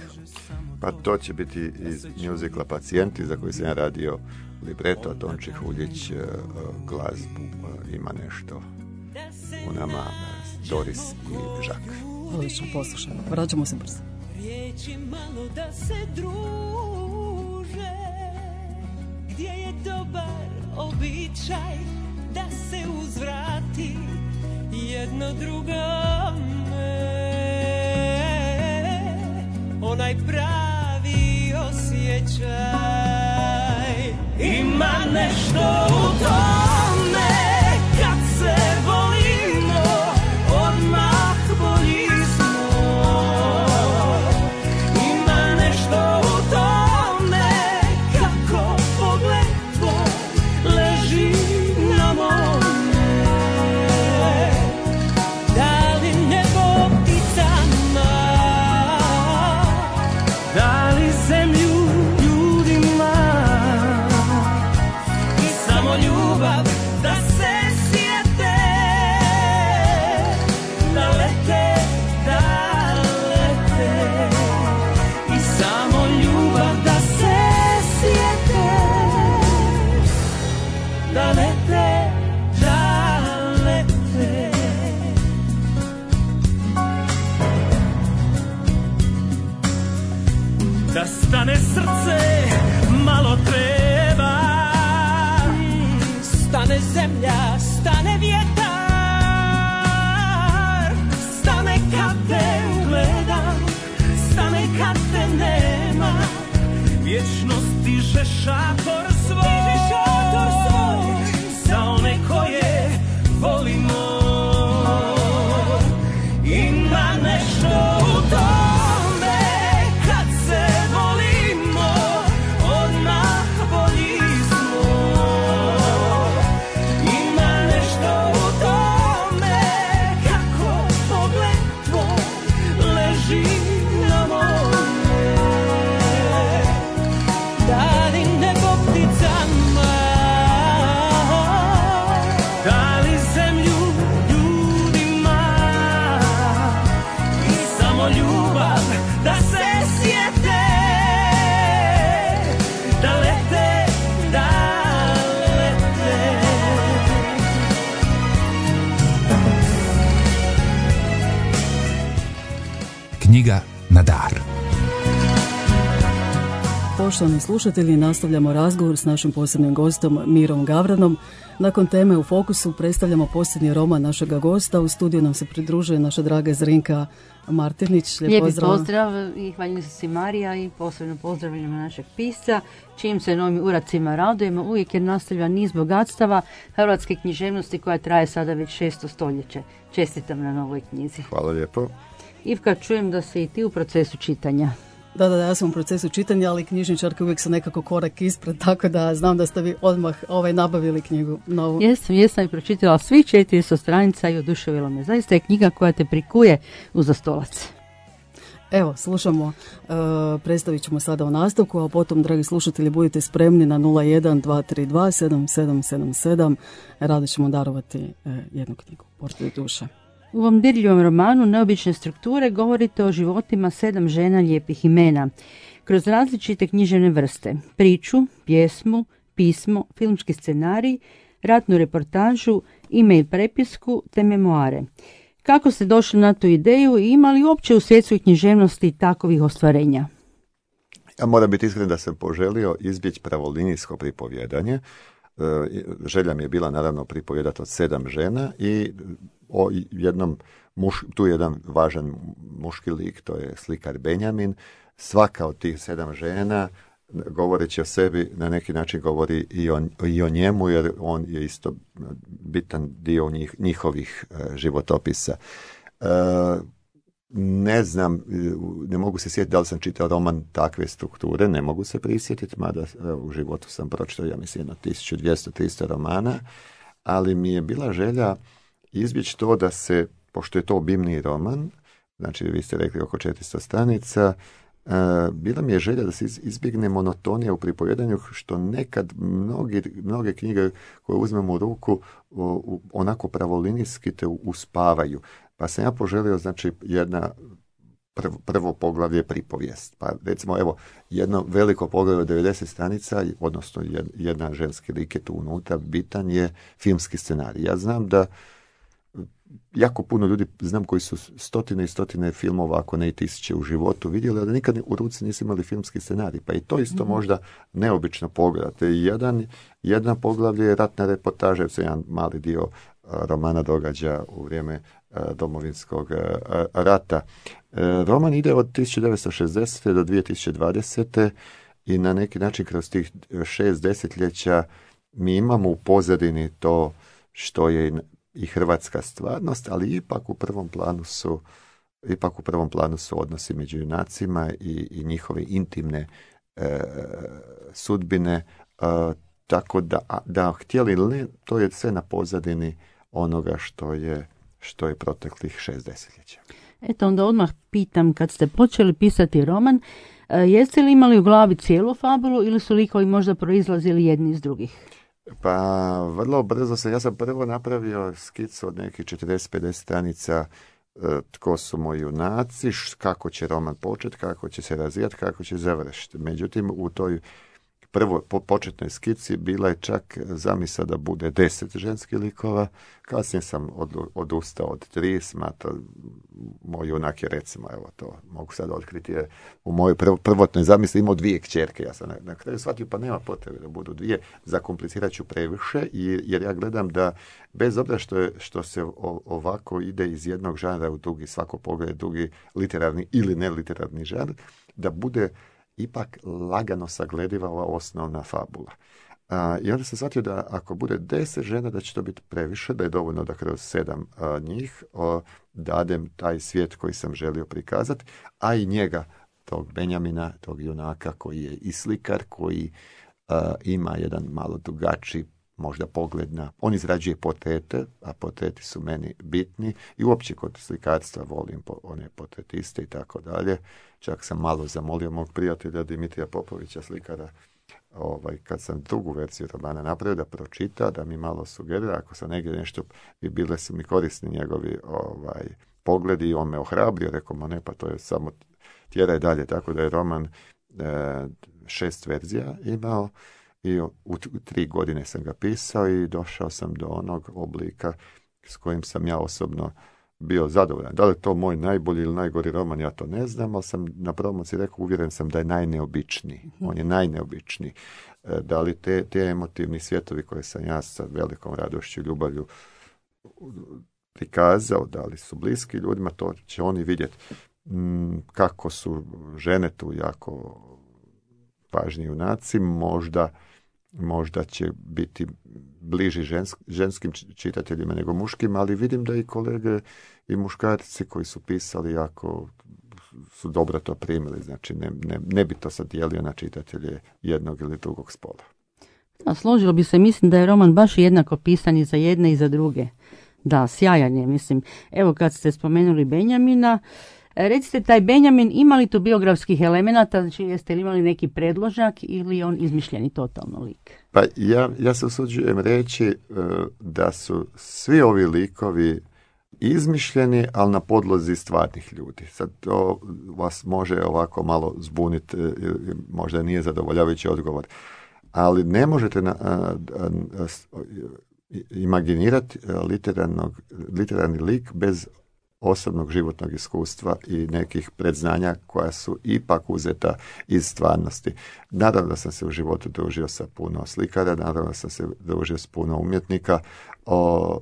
Pa to će biti iz mjuzikla Pacijenti, za koji sam ja radio libreto, Tonči Huljić glazbu ima nešto u nama, Doris i Žak. Odlično, poslušajmo. Vraćamo se brzo. Riječi malo da se druže, gdje je dobar običaj da se uzvrati jedno drugome, onaj pravi osjećaj. Ima nešto u tome kad se volimo, odmah bolji smo. Ima nešto u tome kako pogled tvoj leži na mome. Da li nebo pticama, da li zemlju ljudima, i samo ljubav da se sjete, da lete, da lete, i samo ljubav da se sjete, da lete, da lete. Da stane srce malo treba, stane zemlja, stane vjetar, stane kad te ugledam, stane kad te nema, vječnost diže šator svoj, šator svoj za one koje volimo. Ima nešto u tome kad se volimo, odmah bolji smo. Ima nešto u tome kako pogled tvoj leži na moje. Dali nebo pticama, dali zemlju ljudima i samo ljubav da se sjete, da lete, da lete. Knjiga na dar. Poštovani slušatelji, nastavljamo razgovor s našim posebnim gostom Mirom Gavranom. Nakon teme u fokusu predstavljamo posljednji roman našega gosta. U studiju nam se pridružuje naša draga Zrinka Martinić. Lijep Lijepi pozdrav. pozdrav i hvaljeni su si Marija i posebno pozdravljamo našeg pisca, čijim se novim uracima radujemo uvijek jer nastavlja niz bogatstava hrvatske književnosti koja traje sada već šesto stoljeće. Čestitam na novoj knjizi. Hvala lijepo. Ivka, čujem da si i ti u procesu čitanja. Da, da, da, ja sam u procesu čitanja, ali knjižničarke uvijek su nekako korak ispred, tako da znam da ste vi odmah ovaj, nabavili knjigu novu. Jesam, jesam i pročitala svih četiristo stranica i oduševila me. Zaista je knjiga koja te prikuje uza stolac. Evo, slušamo, e, predstavit ćemo sada u nastavku, a potom, dragi slušatelji, budite spremni na nula jedan dva tri dva sedam sedam sedam sedam. Rado ćemo darovati e, jednu knjigu, Portret duše. U ovom dirljivom romanu Neobične strukture govorite o životima sedam žena lijepih imena, kroz različite književne vrste, priču, pjesmu, pismo, filmski scenarij, ratnu reportažu, e-mail prepisku te memoare. Kako ste došli na tu ideju i ima li uopće u svjetskoj književnosti takovih ostvarenja? Ja moram biti iskren da sam poželio izbjeći pravolinijsko pripovjedanje. Želja mi je bila naravno pripovjedati od sedam žena i o jednom, muš, tu je jedan važan muški lik, to je slikar Benjamin. Svaka od tih sedam žena, govoreći o sebi, na neki način govori i o, i o njemu, jer on je isto bitan dio njih, njihovih uh, životopisa. Uh, ne znam, ne mogu se sjetiti da li sam čitao roman takve strukture, ne mogu se prisjetiti, mada u životu sam pročitao, ja mislim, na tisuću dvjesto do tristo romana, ali mi je bila želja izbjeći to da se, pošto je to obimni roman, znači vi ste rekli oko četiristo stranica, uh, bila mi je želja da se izbjegne monotonija u pripovjedanju, što nekad mnogi, mnoge knjige koje uzmemo u ruku uh, onako pravolinijski te uspavaju. Pa sam ja poželio, znači, jedna prvo, prvo poglavlje pripovijest. Pa recimo, evo, jedno veliko poglavlje od devedeset stranica, odnosno jedna ženski lik je tu unutra, bitan je filmski scenarij. Ja znam da jako puno ljudi, znam koji su stotine i stotine filmova, ako ne i tisuće u životu vidjeli, ali nikad u ruci nisu imali filmski scenarij. Pa i to isto mm-hmm. možda neobično pogledate. Jedan, jedna poglavlje je ratna reportaža, jer se jedan mali dio romana događa u vrijeme Domovinskog rata. Roman ide od tisuću devetsto šezdesete do dvije tisuće dvadesete i na neki način kroz tih šest desetljeća mi imamo u pozadini to što je i hrvatska stvarnost, ali ipak u prvom planu su ipak u prvom planu su odnosi među junacima i, i njihove intimne e, sudbine, e, tako da, da htjeli ili ne, to je sve na pozadini onoga što je što je proteklih šest desetljeća. Eto, onda odmah pitam, kad ste počeli pisati roman, jeste li imali u glavi cijelu fabulu ili su likovi možda proizlazili jedni iz drugih? Pa, vrlo brzo sam, ja sam prvo napravio skicu od nekih četrdeset do pedeset stranica, tko su moji junaci, kako će roman početi, kako će se razvijati, kako će završiti. Međutim, u toj prvo po početnoj skici bila je čak zamisao da bude deset ženskih likova, kasnije sam od, odustao od tri, smatra, moj junak je recimo, evo to mogu sad otkriti, je u mojoj prv, prvotnoj zamisli imao dvije kćerke, ja sam na, na kraju shvatio pa nema potrebe da budu dvije, zakomplicirat ću previše, jer ja gledam da bez obzira što, je, što se o, ovako ide iz jednog žanra u drugi, svako pogled drugi literarni ili neliterarni žanr, da bude ipak lagano saglediva ova osnovna fabula. A, I onda sam shvatio da ako bude deset žena, da će to biti previše, da je dovoljno da kroz sedam a, njih a, dadem taj svijet koji sam želio prikazati, a i njega, tog Benjamina, tog junaka koji je i slikar, koji a, ima jedan malo drugačiji možda pogled na... On izrađuje portrete, a portreti su meni bitni i uopće kod slikarstva volim po, one portretiste i tako dalje. Čak sam malo zamolio mog prijatelja Dimitrija Popovića, slikara, ovaj, kad sam drugu verziju romana napravio, da pročita, da mi malo sugerira, ako sam negdje nešto, i bile su mi korisni njegovi ovaj, pogledi i on me ohrabrio, rekao, ma ne, pa to je samo tjeraj dalje, tako da je roman e, šest verzija imao i u, u tri godine sam ga pisao i došao sam do onog oblika s kojim sam ja osobno bio zadovoljan. Da li je to moj najbolji ili najgori roman, ja to ne znam, ali sam na promociji rekao, uvjeren sam da je najneobičniji. On je najneobičniji. Da li te, te emotivni svjetovi koje sam ja sa velikom radošću i ljubavlju prikazao, da li su bliski ljudima, to će oni vidjeti. Kako su žene tu jako važni junaci, možda možda će biti bliži žensk, ženskim čitateljima nego muškim, ali vidim da i kolege i muškarci koji su pisali jako su dobro to primili, znači ne, ne, ne bi to sad dijelio na čitatelje jednog ili drugog spola. A složilo bi se, mislim da je roman baš jednako pisan i za jedne i za druge. Da, sjajan je, mislim. Evo kad ste spomenuli Benjamina, recite, taj Benjamin, ima li tu biografskih elemenata, znači jeste li imali neki predložak ili je on izmišljeni totalno lik? Pa ja, ja se usuđujem reći uh, da su svi ovi likovi izmišljeni, ali na podlozi stvarnih ljudi. Sad to vas može ovako malo zbuniti, uh, možda nije zadovoljavajući odgovor, ali ne možete na, uh, uh, uh, imaginirati uh, literarni lik bez osobnog životnog iskustva i nekih predznanja koja su ipak uzeta iz stvarnosti. Naravno da sam se u životu družio sa puno slikara, naravno da sam se družio s puno umjetnika o,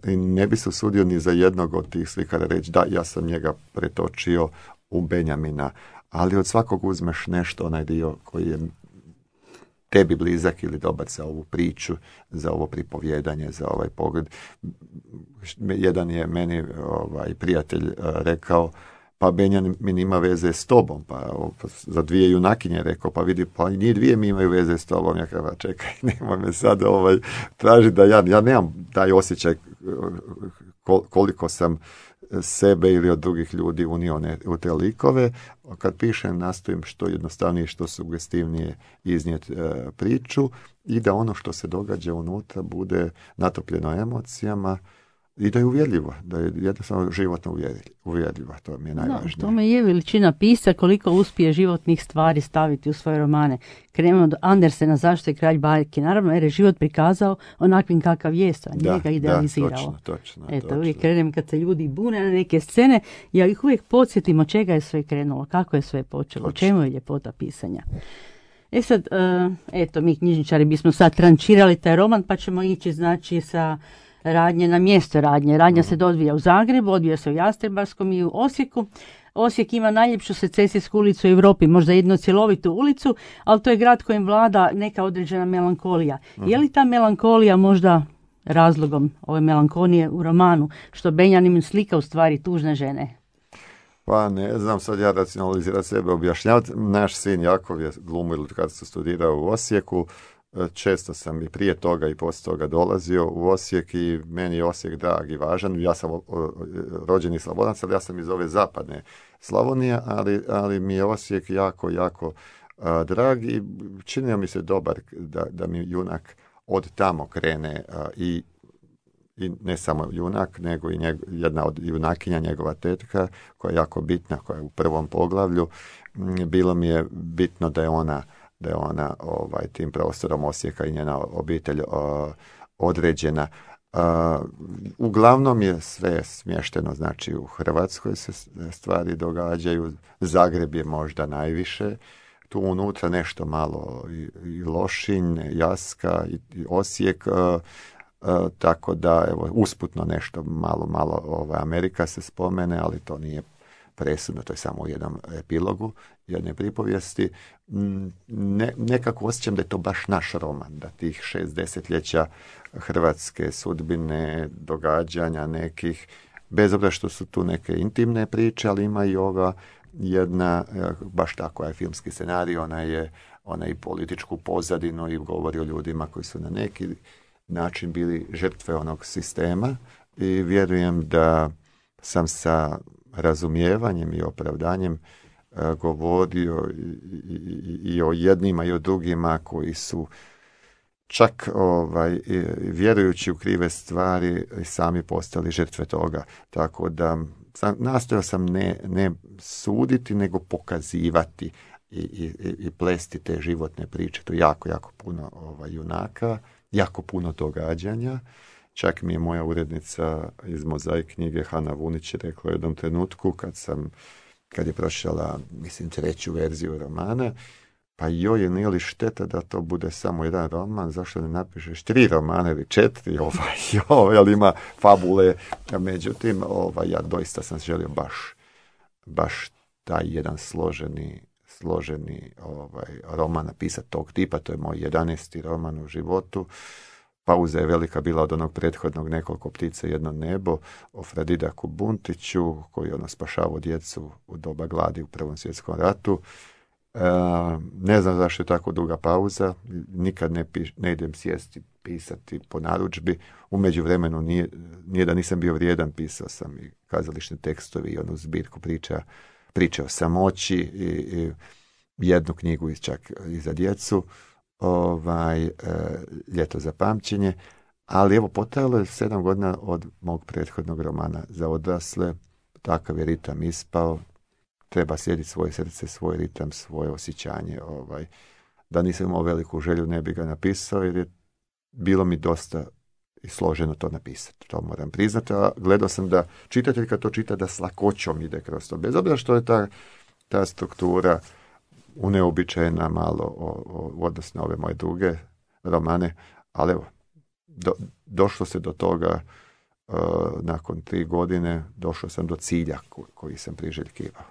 i ne bi se usudio ni za jednog od tih slikara reći da ja sam njega pretočio u Benjamina, ali od svakog uzmeš nešto, onaj dio koji je tebi blizak ili dobar za ovu priču, za ovo pripovjedanje, za ovaj pogled. Jedan je meni ovaj prijatelj rekao, pa Benjamin ima veze s tobom, pa za dvije junakinje rekao, pa vidi, pa njih dvije mi imaju veze s tobom. Ja kao, čekaj, nemoj me sad ovaj, traži da ja, ja nemam taj osjećaj koliko sam sebe ili od drugih ljudi unio u te likove. Kad pišem, nastojim što jednostavnije, što sugestivnije iznijeti e, priču i da ono što se događa unutra bude natopljeno emocijama i da je uvjerljivo, da je jednostavno životno uvjerljivo, to mi je najvažnije. No, tome je veličina pisa koliko uspije životnih stvari staviti u svoje romane. Krenemo od Andersena, Zašto je kralj bajke. Naravno, jer je život prikazao onakvim kakav je, a nije ga idealizirao. Da, točno, točno. Eto, točno. Uvijek krenem kad se ljudi bune na neke scene, ja ih uvijek podsjetim od čega je sve krenulo, kako je sve počelo, točno. Čemu je ljepota pisanja. E sad, uh, eto, mi knjižničari bismo sad trančirali taj roman, pa ćemo ići, znači, sa radnje na mjesto radnje. Radnja se odvija u Zagrebu, odvija se u Jastrebarskom i u Osijeku. Osijek ima najljepšu secesijsku ulicu u Europi, možda jednu cjelovitu ulicu, ali to je grad kojem vlada neka određena melankolija. Uh-huh. Je li ta melankolija možda razlogom ove melankolije u romanu, što Benjamin slika u stvari tužne žene? Pa ne znam sad ja racionalizirati sebe, objašnjavati. Naš sin Jakov je glumio kad se studirao u Osijeku. Često sam i prije toga i poslije toga dolazio u Osijek i meni je Osijek drag i važan. Ja sam rođeni Slavonac, ali ja sam iz ove zapadne Slavonije, ali, ali mi je Osijek jako, jako a, drag i činio mi se dobar da, da mi junak od tamo krene a, i, i ne samo junak, nego i njeg, jedna od junakinja, njegova tetka, koja je jako bitna, koja je u prvom poglavlju. Bilo mi je bitno da je ona da je ona ovaj, tim prostorom Osijeka i njena obitelj o, određena. A, uglavnom je sve smješteno, znači u Hrvatskoj se stvari događaju, Zagreb je možda najviše, tu unutra nešto malo i, i Lošinj, Jaska i, i Osijek, a, a, tako da evo, usputno nešto malo, malo ovaj, Amerika se spomene, ali to nije presudno, to je samo u jednom epilogu, jedne pripovijesti. Ne, nekako osjećam da je to baš naš roman, da tih šest desetljeća hrvatske sudbine, događanja nekih, bez obzira što su tu neke intimne priče, ali ima i ova jedna, baš tako je filmski scenarij, ona je, ona je i političku pozadinu i govori o ljudima koji su na neki način bili žrtve onog sistema i vjerujem da sam sa razumijevanjem i opravdanjem a, govorio i, i, i o jednima i o drugima koji su čak ovaj, vjerujući u krive stvari sami postali žrtve toga. Tako da sam, nastojao sam ne, ne suditi, nego pokazivati i, i, i plesti te životne priče. To je jako, jako puno ovaj, junaka, jako puno događanja. Čak mi je moja urednica iz Mozaik knjige Hana Vunić rekla u jednom trenutku kad sam, kad je prošla, mislim, treću verziju romana, pa joj, nije li šteta da to bude samo jedan roman, zašto ne napišeš tri romana ili četiri, ovaj, joj, ali ima fabule, međutim, ovaj, ja doista sam želio baš, baš taj jedan složeni, složeni ovaj, roman napisati tog tipa, to je moj jedanaesti roman u životu. Pauza je velika bila od onog prethodnog Nekoliko ptica i jedno nebo o Fredidaku Buntiću, koji ono spašavao djecu u doba gladi u Prvom svjetskom ratu. E, ne znam zašto je tako duga pauza, nikad ne, piš, ne idem sjesti pisati po narudžbi. U međuvremenu nije, nije da nisam bio vrijedan, pisao sam i kazališne tekstovi i onu zbirku priča, priče o samoći i, i jednu knjigu čak i za djecu. Ovaj, e, Ljeto za pamćenje, ali evo potrajalo je sedam godina od mog prethodnog romana za odrasle, takav je ritam ispao, treba slijediti svoje srce, svoj ritam, svoje osjećanje, ovaj, da nisam imao veliku želju ne bi ga napisao jer je bilo mi dosta i složeno to napisati, to moram priznati, a gledao sam da čitatelj kad to čita da s lakoćom ide kroz to, bez obzira što je ta, ta struktura uneobičajena malo o, o, u odnosu na ove moje druge romane, ali evo, do, došlo se do toga uh, nakon tri godine, došao sam do cilja ko, koji sam priželjkivao.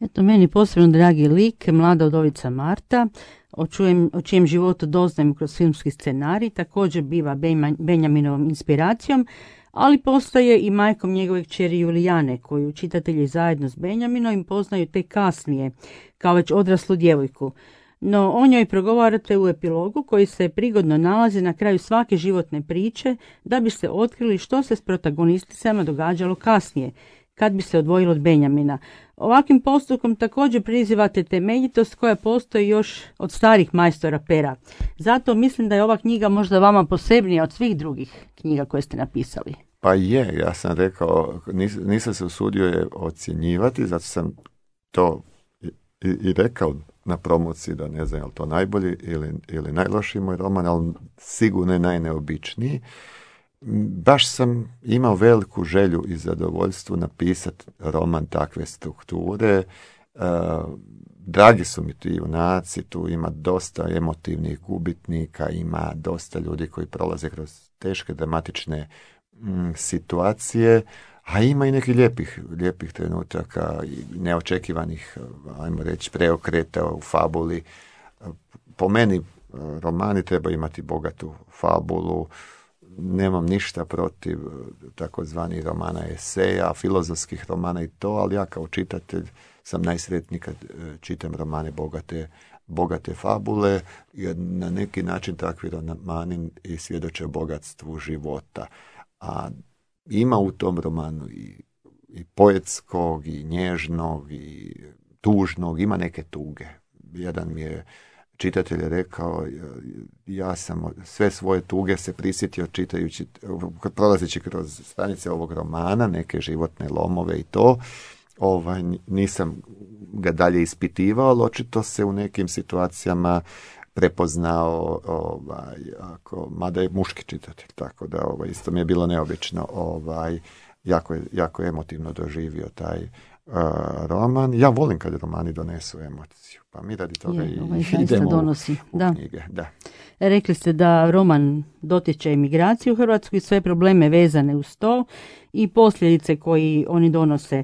Eto, meni posebno dragi lik, mlada udovica Marta, o, čujem, o čijem životu doznajem kroz filmski scenarij, također biva Benjaminovom inspiracijom, ali postaje i majkom njegove kćeri Julijane, koju čitatelji zajedno s Benjaminom poznaju tek kasnije, kao već odraslu djevojku. No, o njoj progovarate u epilogu koji se prigodno nalazi na kraju svake životne priče, da bi se otkrili što se s protagonisticama događalo kasnije, kad bi se odvojilo od Benjamina. Ovakvim postupkom također prizivate temeljitost koja postoji još od starih majstora pera. Zato mislim da je ova knjiga možda vama posebnija od svih drugih knjiga koje ste napisali. Pa je, ja sam rekao, nis, nisam se usudio je ocjenjivati, zato sam to i, i rekao na promociji da ne znam je li to najbolji ili, ili najlošiji moj roman, ali sigurno je najneobičniji. Baš sam imao veliku želju i zadovoljstvo napisati roman takve strukture. E, dragi su mi ti junaci, tu ima dosta emotivnih gubitnika, ima dosta ljudi koji prolaze kroz teške dramatične m, situacije, a ima i nekih lijepih, lijepih trenutaka i neočekivanih, ajmo reći, preokreta u fabuli. Po meni romani treba imati bogatu fabulu. Nemam ništa protiv takozvanih romana eseja, filozofskih romana i to, ali ja kao čitatelj sam najsretniji kad čitam romane bogate, bogate fabule, jer na neki način takvi romani i svjedoče bogatstvu života. A ima u tom romanu i, i poetskog, i nježnog, i tužnog, ima neke tuge. Jedan mi je čitatelj je rekao, ja sam sve svoje tuge se prisjetio čitajući, prolazeći kroz stranice ovog romana, neke životne lomove i to, ovaj, nisam ga dalje ispitivao, ali očito se u nekim situacijama prepoznao, ovaj, ako, mada je muški čitatelj, tako da ovaj, isto mi je bilo neobično, ovaj, jako, je, jako emotivno doživio taj uh, roman. Ja volim kad romani donesu emociju, pa mi radi toga je, i ovaj idemo donosi. U, u da. knjige. Da. Rekli ste da roman dotiče emigraciju u Hrvatsku i sve probleme vezane uz to i posljedice koji oni donose.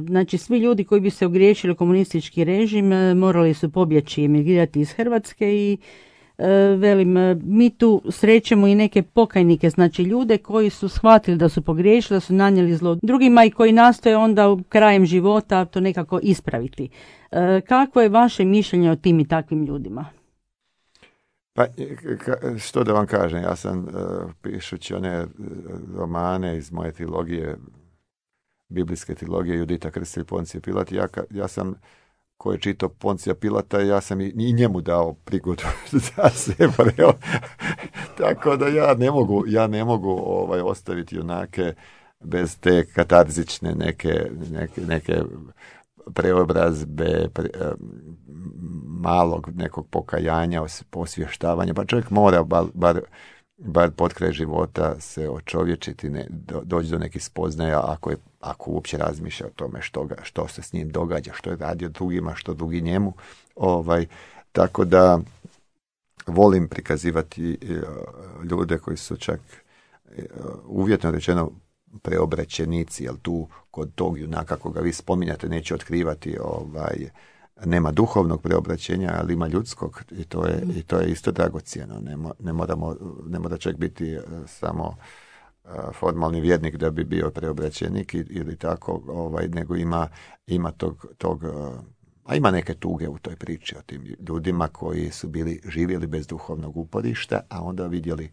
Znači, svi ljudi koji bi se ogriješili komunistički režim morali su pobjeći, emigrirati iz Hrvatske i velim, mi tu srećemo i neke pokajnike, znači ljude koji su shvatili da su pogriješili, da su nanijeli zlo drugima i koji nastoje onda krajem života to nekako ispraviti. Kakvo je vaše mišljenje o tim i takvim ljudima? Pa, što da vam kažem, ja sam uh, pišući one romane iz moje trilogije, biblijske trilogije Judita Krstelj, Poncije Pilat, ja, ja sam, ko je čitao Poncija Pilata, ja sam i, i njemu dao prigodu da se vreo. Tako da ja ne mogu, ja ne mogu ovaj, ostaviti junake bez te katarzične neke, neke, neke preobrazbe, pre, malog nekog pokajanja, osvještavanja, pa čovjek mora bar, bar, bar pod kraj života se očovječiti, ne, do, doći do nekih spoznaja ako, je, ako uopće razmišlja o tome što, ga, što se s njim događa, što je radio drugima, što drugi njemu. Ovaj, tako da volim prikazivati ljude koji su čak uvjetno rečeno preobraćenici, jer tu kod tog junaka koga vi spominjate neće otkrivati, ovaj, nema duhovnog preobraćenja, ali ima ljudskog i to je, mm. i to je isto dragocjeno. Ne, mo, ne, moramo, ne mora čovjek biti uh, samo uh, formalni vjernik da bi bio preobraćenik ili tako, ovaj, nego ima, ima tog, tog uh, a ima neke tuge u toj priči o tim ljudima koji su bili živjeli bez duhovnog uporišta, a onda vidjeli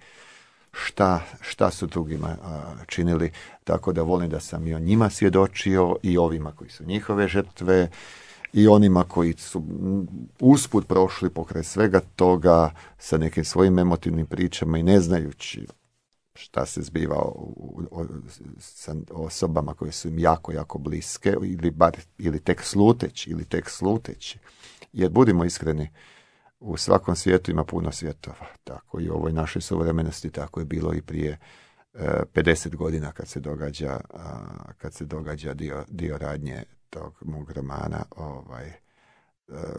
šta, šta su drugima a, činili, tako da volim da sam i o njima svjedočio i ovima koji su njihove žrtve i onima koji su usput prošli pokraj svega toga sa nekim svojim emotivnim pričama i ne znajući šta se zbiva u, u, sa osobama koje su im jako, jako bliske ili, bar, ili tek sluteći ili tek sluteći. Jer budimo iskreni, u svakom svijetu ima puno svjetova, tako i u ovoj našoj suvremenosti, tako je bilo i prije e, pedeset godina kad se događa, a, kad se događa dio, dio radnje tog mog romana, ovaj,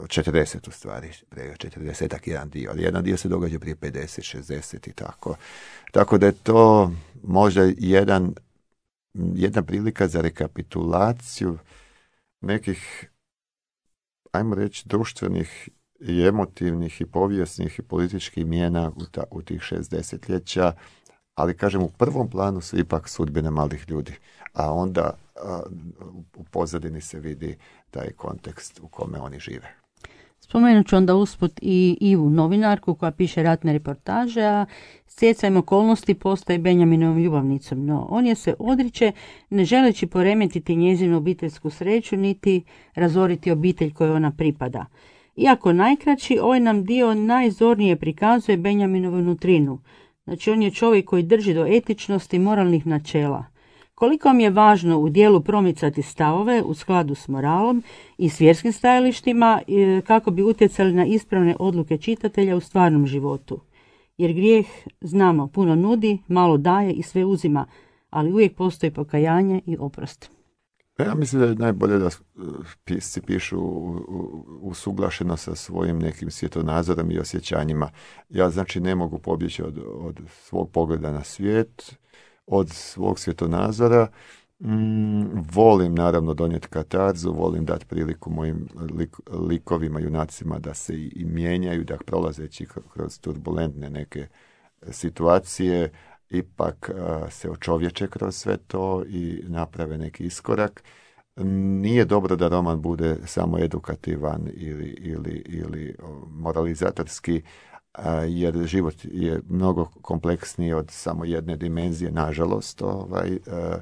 četrdeset u stvari, prije četrdesetak jedan dio, ali jedan dio se događa prije pedeset, šezdeset i tako. Tako da je to možda jedan, jedna prilika za rekapitulaciju nekih, ajmo reći, društvenih i emotivnih i povijesnih i političkih mijena u, ta, u tih šest desetljeća, ali kažem u prvom planu su ipak sudbine malih ljudi, a onda a, u pozadini se vidi taj kontekst u kome oni žive. Spomenut ću onda usput i Ivu, novinarku koja piše ratne reportaže, a stjecajem okolnosti postaje Benjaminovom ljubavnicom, no on je se odriče ne želeći poremetiti njezinu obiteljsku sreću niti razoriti obitelj kojoj ona pripada. Iako najkraći, ovaj nam dio najzornije prikazuje Benjaminovu nutrinu. Znači, on je čovjek koji drži do etičnosti i moralnih načela. Koliko vam je važno u dijelu promicati stavove u skladu s moralom i s vjerskim stajalištima kako bi utjecali na ispravne odluke čitatelja u stvarnom životu. Jer grijeh, znamo, puno nudi, malo daje i sve uzima, ali uvijek postoji pokajanje i oprost. Ja mislim da je najbolje da pisci pišu usuglašeno sa svojim nekim svjetonazorom i osjećanjima. Ja znači ne mogu pobjeći od, od svog pogleda na svijet, od svog svjetonazora. Mm, volim naravno donijeti katarzu, volim dati priliku mojim lik, likovima, junacima da se i, i mijenjaju, da prolazeći kroz turbulentne neke situacije ipak a, se očovječe kroz sve to i naprave neki iskorak. Nije dobro da roman bude samo edukativan ili, ili, ili moralizatorski, a, jer život je mnogo kompleksniji od samo jedne dimenzije, nažalost, ovaj, a,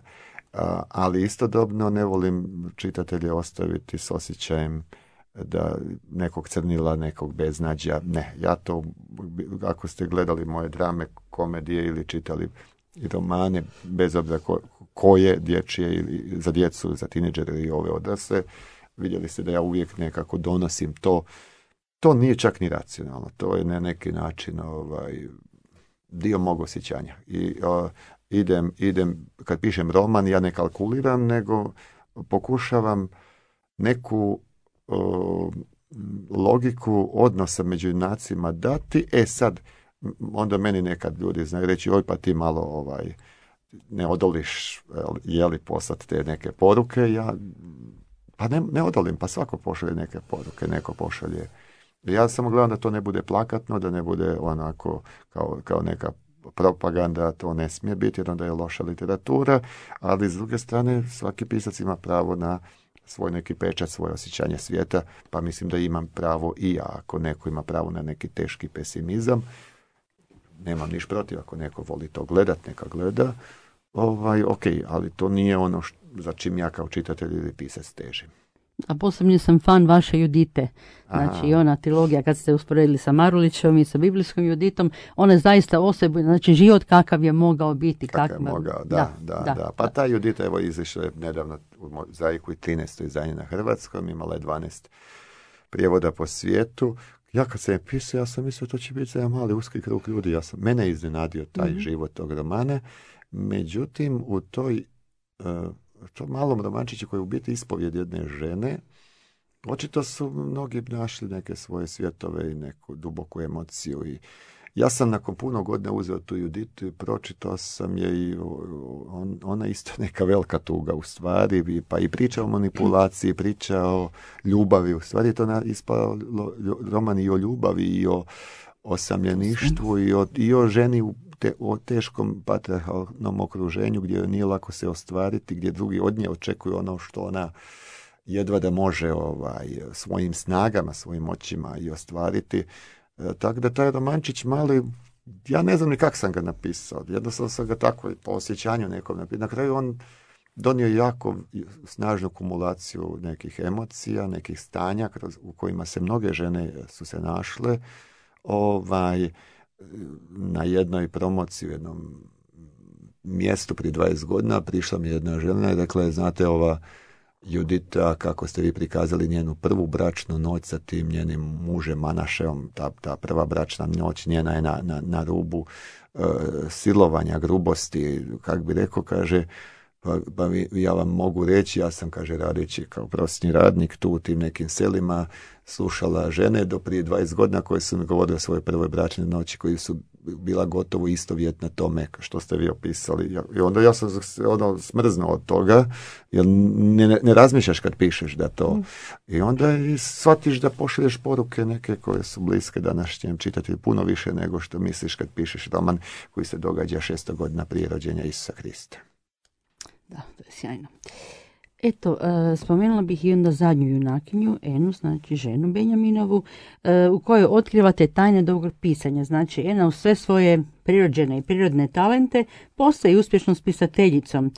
a, ali istodobno ne volim čitatelje ostaviti s osjećajem da nekog crnila, nekog beznađa. Ne, ja to, ako ste gledali moje drame, komedije ili čitali i romane, bez obzira ko, koje dječje ili za djecu, za tineđere i ove odrasle. Vidjeli ste da ja uvijek nekako donosim to. To nije čak ni racionalno. To je na neki način ovaj, dio mog osjećanja. I uh, idem, idem, kad pišem roman, ja ne kalkuliram, nego pokušavam neku uh, logiku odnosa među junacima dati. E sad, onda meni nekad ljudi znaju reći, oj pa ti malo ovaj, ne odoliš, je li poslati te neke poruke. Ja, pa ne, ne odolim, pa svako pošalje neke poruke, neko pošalje. Ja samo gledam da to ne bude plakatno, da ne bude onako kao, kao neka propaganda, to ne smije biti, jer onda je loša literatura, ali s druge strane svaki pisac ima pravo na svoj neki pečat, svoje osjećanje svijeta, pa mislim da imam pravo i ja. Ako neko ima pravo na neki teški pesimizam, nemam niš protiv, ako neko voli to gledat, neka gleda, ovaj, ok, ali to nije ono što, za čim ja kao čitatelj ili pisac težim. A posebno sam fan vaše Judite. Znači i ona trilogija kad ste usporedili sa Marulićem i sa biblijskom Juditom, ona je zaista osobu, znači život kakav je mogao biti. Kakav je mogao, da, da, da, da. da. Pa ta Judita evo izišla nedavno u mozaiku i trinaesto izdanje na hrvatskom, imala je dvanaest prijevoda po svijetu. Ja kad sam je pisao, ja sam mislio to će biti za jedan mali uski krug ljudi. Ja sam, mene je iznenadio taj mm-hmm. život tog romana. Međutim, u toj uh, to malom romančiću koji je u biti ispovjed jedne žene, očito su mnogi našli neke svoje svjetove i neku duboku emociju. I ja sam nakon puno godina uzeo tu Juditu i pročitao sam je i on, ona isto neka velika tuga u stvari, pa i priča o manipulaciji, priča o ljubavi. U stvari je to ispao roman i o ljubavi i o osamljeništvu i o, i o ženi u te, o teškom patriarhalnom okruženju gdje nije lako se ostvariti, gdje drugi od nje očekuju ono što ona jedva da može ovaj, svojim snagama, svojim moćima i ostvariti. E, tako da taj romančić mali, ja ne znam ni kako sam ga napisao, jednostavno sam ga tako po osjećanju nekom napisao. Na kraju on donio jako snažnu kumulaciju nekih emocija, nekih stanja kroz, u kojima se mnoge žene su se našle. Ovaj, na jednoj promociji u jednom mjestu prije dvadeset godina prišla mi jedna žena i rekla je, znate, ova Judita, kako ste vi prikazali njenu prvu bračnu noć sa tim njenim mužem Manašeom, ta, ta prva bračna noć njena je na, na, na rubu e, silovanja, grubosti, kak bi rekao, kaže, pa, pa ja vam mogu reći, ja sam, kaže, radeći kao prosječni radnik tu u tim nekim selima, slušala žene do prije dvadeset godina koje su mi govorile o svojoj prvoj bračnoj noći, koji su bila gotovo istovjetna tome što ste vi opisali. I onda ja sam ono smrznuo od toga, jer ne, ne razmišljaš kad pišeš da to. Mm. I onda i shvatiš da pošalješ poruke neke koje su bliske današnjem čitatelju puno više nego što misliš kad pišeš roman koji se događa šesto godina prije rođenja Isusa Krista. Da, to je sjajno. Eto, e, spomenula bih i onda zadnju junakinju, Enu, znači ženu Benjaminovu, e, u kojoj otkrivate tajne dobrog pisanja. Znači, Ena u sve svoje prirođene i prirodne talente postaje uspješnom spisateljicom.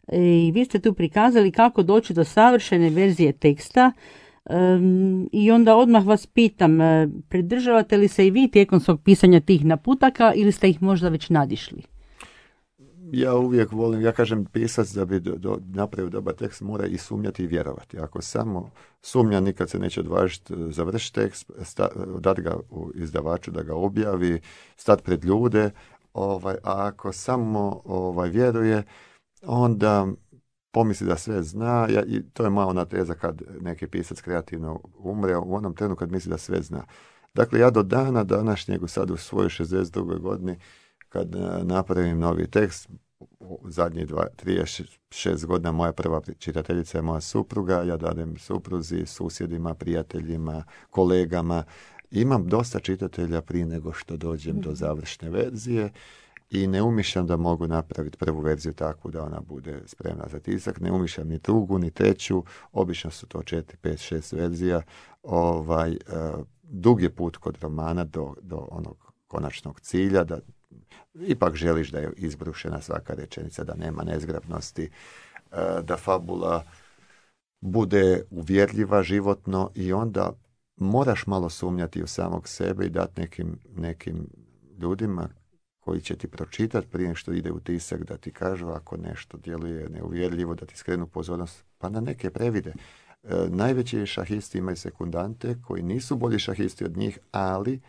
E, I vi ste tu prikazali kako doći do savršene verzije teksta. E, I onda odmah vas pitam, e, pridržavate li se i vi tijekom svog pisanja tih naputaka ili ste ih možda već nadišli? Ja uvijek volim, ja kažem, pisac da bi do, do, napravio dobar tekst mora i sumnjati i vjerovati. Ako samo sumnja, nikad se neće odvažiti završiti tekst, sta, dati ga u izdavaču da ga objavi, stati pred ljude, ovaj, a ako samo ovaj, vjeruje, onda pomisli da sve zna. Ja, i to je malo ona teza kad neki pisac kreativno umre, u onom trenu kad misli da sve zna. Dakle, ja do dana današnjeg, sad u svojoj šezdeset drugoj godini, kad napravim novi tekst, u zadnjih trideset šest godina moja prva čitateljica je moja supruga, ja dadem supruzi, susjedima, prijateljima, kolegama. Imam dosta čitatelja prije nego što dođem do završne verzije i ne umišljam da mogu napraviti prvu verziju takvu da ona bude spremna za tisak, ne umišljam ni drugu, ni treću, obično su to četiri, pet, šest verzija. Ovaj, uh, dug je put kod romana do, do onog konačnog cilja, da ipak želiš da je izbrušena svaka rečenica, da nema nezgrapnosti, da fabula bude uvjerljiva životno i onda moraš malo sumnjati u samog sebe i dati nekim, nekim ljudima koji će ti pročitati prije što ide u tisak, da ti kažu ako nešto djeluje neuvjerljivo, da ti skrenu pozornost, pa na neke previde. E, najveći šahisti imaju sekundante koji nisu bolji šahisti od njih, ali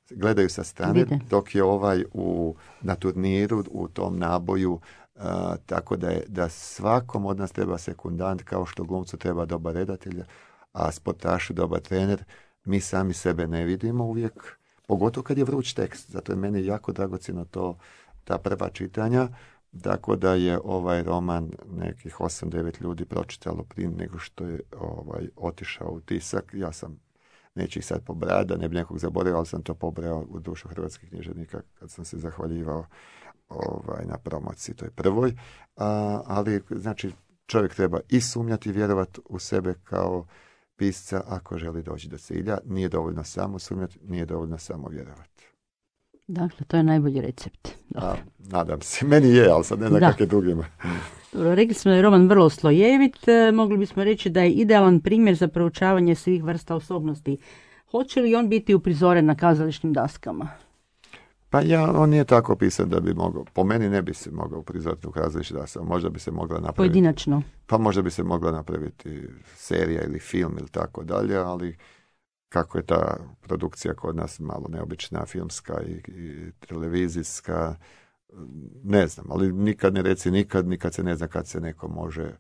gledaju sa strane, Vide. dok je ovaj u, na turniru u tom naboju, uh, tako da, je, da svakom od nas treba sekundant, kao što glumcu treba dobar redatelj, a sportašu dobar trener. Mi sami sebe ne vidimo uvijek, pogotovo kad je vruć tekst. Zato je meni jako dragocjeno to, ta prva čitanja, tako da je ovaj roman nekih osam devet ljudi pročitalo prije nego što je ovaj, otišao u tisak. Ja sam, neću ih sad pobrati, da ne bi nekog zaboravio, ali sam to pobrao u dušu hrvatskih književnika kad sam se zahvaljivao ovaj, na promociji toj prvoj. A, ali, znači, čovjek treba i sumnjati i vjerovati u sebe kao pisca ako želi doći do cilja. Nije dovoljno samo sumnjati, nije dovoljno samo vjerovati. Dakle, to je najbolji recept. A, nadam se. Meni je, ali sad ne znam kakve drugima. Dobro, rekli smo da je roman vrlo slojevit. E, mogli bismo reći da je idealan primjer za proučavanje svih vrsta osobnosti. Hoće li on biti uprizoren na kazališnim daskama? Pa ja, on nije tako pisan da bi mogao. Po meni ne bi se mogao uprizoriti u kazališnim daskama. Možda bi se mogla napraviti. Pojedinačno. Pa možda bi se mogla napraviti serija ili film ili tako dalje, ali kako je ta produkcija kod nas malo neobična, filmska i, i televizijska, ne znam, ali nikad ne reci nikad, nikad se ne zna kad se neko može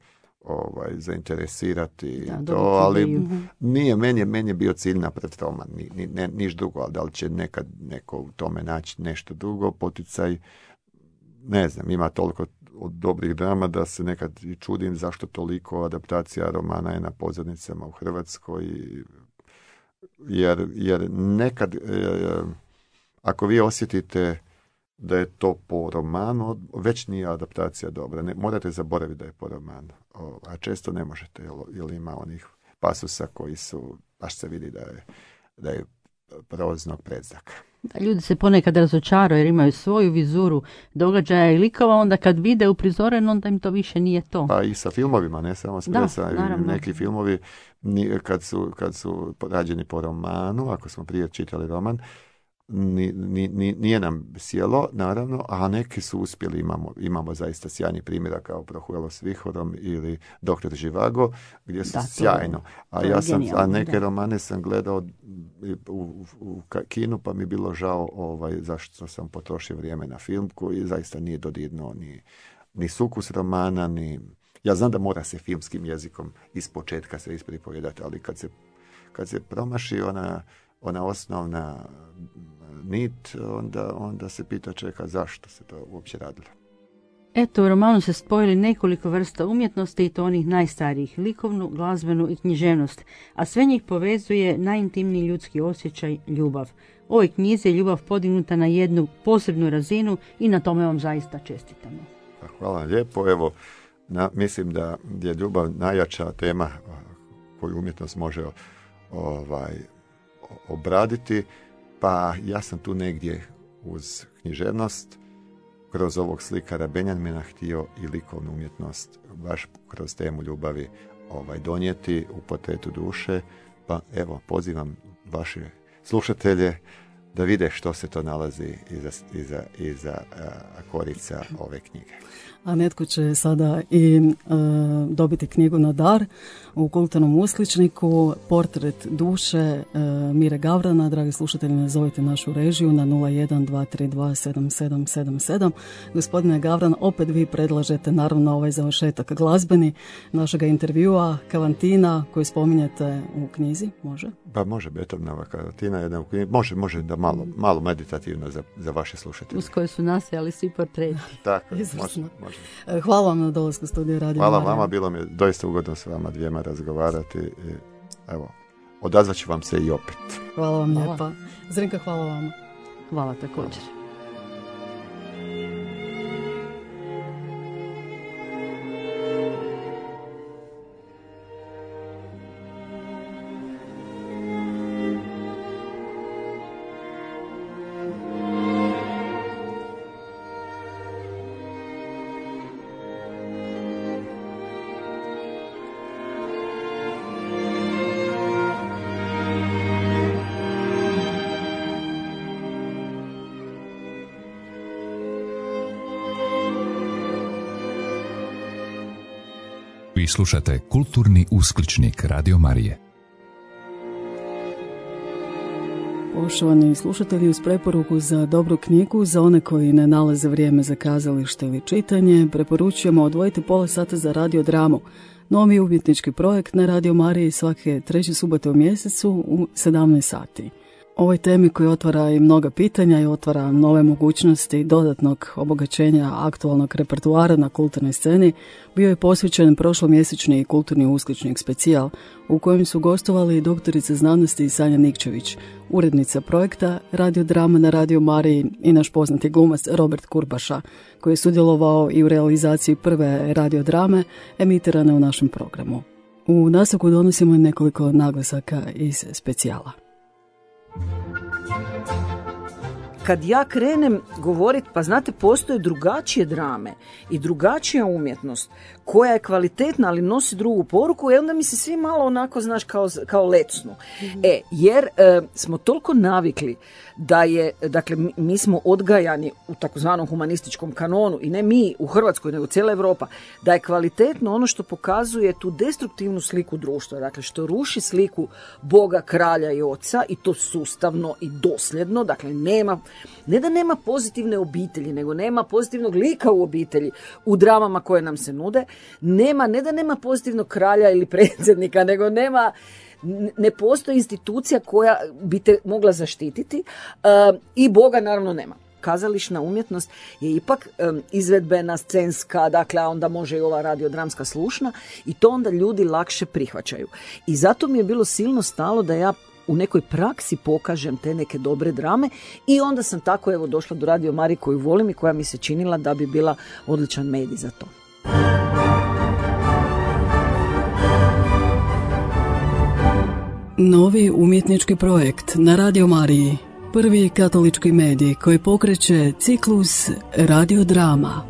ovaj, zainteresirati, da, to, ali ideju. Nije, meni je, meni je bio cilj napraviti roman, ni, ni, ne, niš drugo, ali da li će nekad neko u tome naći nešto drugo, poticaj, ne znam, ima toliko od dobrih drama da se nekad i čudim zašto toliko adaptacija romana je na pozornicama u Hrvatskoj, jer, jer nekad, e, ako vi osjetite da je to po romanu, već nije adaptacija dobra. Ne, morate zaboraviti da je po romanu. O, a često ne možete, jer, jer ima onih pasusa koji su, baš se vidi da je, da je prolaznog predznaka. Da, ljudi se ponekad razočaraju jer imaju svoju vizuru događaja i likova, onda kad vide uprizoren, onda im to više nije to. Pa i sa filmovima, ne samo s predstavama. Neki filmovi, kad su, kad su rađeni po romanu, ako smo prije čitali roman, Ni, ni, ni, nije nam sjelo, naravno, a neki su uspjeli, imamo, imamo zaista sjajni primjera kao Prohuelo s vihorom ili Doktor Živago, gdje su da, sjajno. A ja sam, a neke da. romane sam gledao u, u, u kinu, pa mi je bilo žao ovaj, zašto sam potrošio vrijeme na film koji zaista nije dodirnuo ni, ni sukus romana, ni... Ja znam da mora se filmskim jezikom iz početka se ispripovedati, ali kad se, kad se promaši ona, ona osnovna nit, onda, onda se pita čeka zašto se to uopće radilo. Eto, u romanu se spojili nekoliko vrsta umjetnosti i to onih najstarijih, likovnu, glazbenu i književnost, a sve njih povezuje najintimniji ljudski osjećaj, ljubav. U ovoj knjizi je ljubav podignuta na jednu posebnu razinu i na tome vam zaista čestitamo. Hvala lijepo, evo, na, mislim da je ljubav najjača tema koju umjetnost može ovaj, obraditi. Pa ja sam tu negdje uz književnost, kroz ovog slikara Benjamina htio i likovnu umjetnost baš kroz temu ljubavi ovaj, donijeti u portretu duše. Pa evo, pozivam vaše slušatelje da vide što se to nalazi iza, iza, iza uh, korica ove knjige. A netko će sada i uh, dobiti knjigu na dar u kulturnom usličniku, Portret duše uh, Mire Gavrana. Dragi slušatelji, nazovite našu režiju na nula jedan dva tri dva sedam sedam sedam sedam. Gospodine Gavran, opet vi predlažete naravno ovaj završetak glazbeni našega intervjua, Kavantina koju spominjete u knjizi, može? Pa može, Beethovenova Kavantina, jedna u knjizi, može, može da malo, malo meditativno za, za vaše slušatelje. Uz koje su nastajali svi portreti. Tako, može, može. Hvala vam na dolasku u studiju Radio Hvala Marija. vama, bilo mi je doista ugodno s vama dvijema razgovarati. I, evo, odazvat ću vam se i opet. Hvala vam hvala. lijepa. Zrinka, hvala vam. Hvala također. Hvala. Vi slušate Kulturni uskličnik Radio Marije. Poštovani slušatelji, uz preporuku za dobru knjigu, za one koji ne nalaze vrijeme za kazalište ili čitanje, preporučujemo odvojiti pola sata za radiodramu. Novi umjetnički projekt na Radio Mariji svake treće subote u mjesecu u sedamnaest sati. Ovoj temi koja otvara i mnoga pitanja i otvara nove mogućnosti dodatnog obogaćenja aktualnog repertoara na kulturnoj sceni bio je posvećen prošlomjesečni kulturni uskličnik specijal u kojem su gostovali doktorica znanosti Sanja Nikčević, urednica projekta radiodrama na Radio Mariji i naš poznati glumac Robert Kurbaša, koji je sudjelovao i u realizaciji prve radiodrame emitirane u našem programu. U nastavku donosimo nekoliko naglasaka iz specijala. Kad ja krenem govoriti, pa znate, postoje drugačije drame i drugačija umjetnost koja je kvalitetna, ali nosi drugu poruku, i onda mi se svi malo onako, znaš, kao, kao lecnu. Mm-hmm. E, jer e, smo toliko navikli da je, dakle, mi, mi smo odgajani u takozvanom humanističkom kanonu, i ne mi u Hrvatskoj, nego cijela Europa, da je kvalitetno ono što pokazuje tu destruktivnu sliku društva, dakle, što ruši sliku Boga, kralja i oca, i to sustavno i dosljedno, dakle, nema, ne da nema pozitivne obitelji, nego nema pozitivnog lika u obitelji u dramama koje nam se nude, nema, ne da nema pozitivnog kralja ili predsjednika, nego nema, ne postoji institucija koja bi te mogla zaštititi, uh, i Boga naravno nema. Kazališna umjetnost je ipak um, izvedbena, scenska, dakle, a onda može i ova radiodramska slušna, i to onda ljudi lakše prihvaćaju. I zato mi je bilo silno stalo da ja u nekoj praksi pokažem te neke dobre drame, i onda sam tako, evo, došla do Radio Marije koju volim i koja mi se činila da bi bila odličan medij za to. Novi umjetnički projekt na Radio Mariji, prvi katolički medij koji pokreće ciklus radiodrama.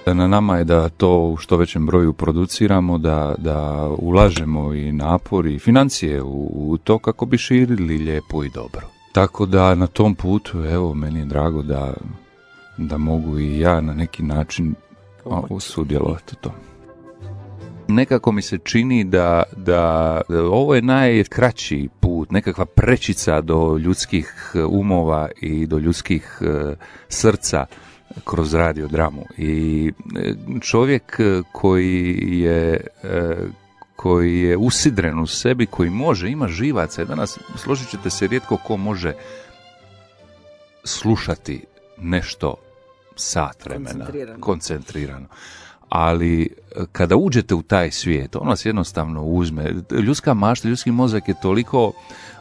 Na nama je da to u što većem broju produciramo, da, da ulažemo i napor i financije u, u to kako bi širili lijepo i dobro. Tako da na tom putu, evo, meni je drago da, da mogu i ja na neki način sudjelovati u tom. Nekako mi se čini da, da, da ovo je najkraći put, nekakva prečica do ljudskih umova i do ljudskih uh, srca kroz radiodramu. I čovjek koji je, uh, koji je usidren u sebi, koji može, ima živaca. Danas, složit ćete se, rijetko ko može slušati nešto sat vremena, koncentrirano. koncentrirano. Ali kada uđete u taj svijet, on vas jednostavno uzme. Ljudska mašta, ljudski mozak je toliko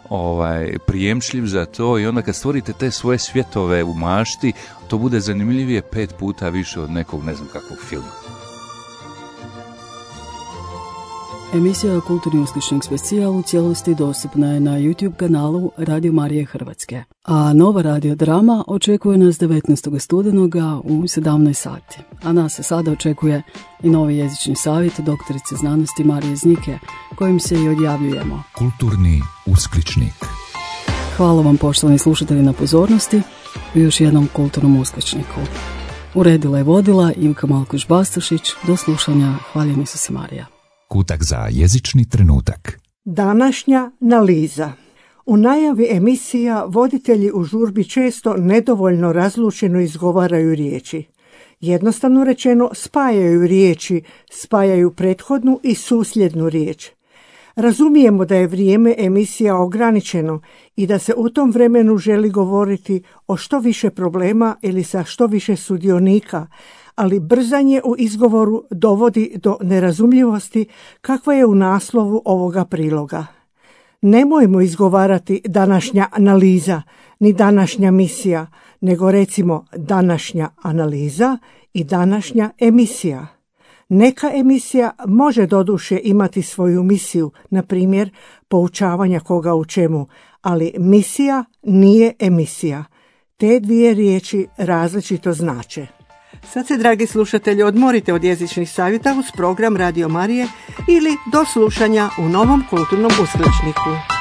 ovaj, prijemčljiv za to, i onda kad stvorite te svoje svjetove u mašti, to bude zanimljivije pet puta više od nekog, ne znam kakvog filma. Emisija Kulturni uskličnik specijal u cijelosti dostupna je na YouTube kanalu Radio Marije Hrvatske. A nova radiodrama očekuje nas devetnaestog studenoga u sedamnaest sati. A nas se sada očekuje i novi jezični savjet doktorice znanosti Marije Znike, kojim se i odjavljujemo. Kulturni uskličnik. Hvala vam, poštovani slušatelji, na pozornosti u još jednom kulturnom uskličniku. Uredila i vodila Ivka Malkuš-Bastašić. Do slušanja. Hvaljeni su se Marija. Kutak za jezični trenutak. Današnja analiza. U najavi emisija voditelji u žurbi često nedovoljno razlučeno izgovaraju riječi. Jednostavno rečeno, spajaju riječi, spajaju prethodnu i susljednu riječ. Razumijemo da je vrijeme emisija ograničeno i da se u tom vremenu želi govoriti o što više problema ili sa što više sudionika, ali brzanje u izgovoru dovodi do nerazumljivosti kakva je u naslovu ovoga priloga. Nemojmo izgovarati današnja analiza, ni današnja misija, nego recimo današnja analiza i današnja emisija. Neka emisija može doduše imati svoju misiju, na primjer poučavanja koga u čemu, ali misija nije emisija. Te dvije riječi različito znače. Sad se, dragi slušatelji, odmorite od jezičnih savjeta uz program Radio Marije ili do slušanja u novom kulturnom uskličniku.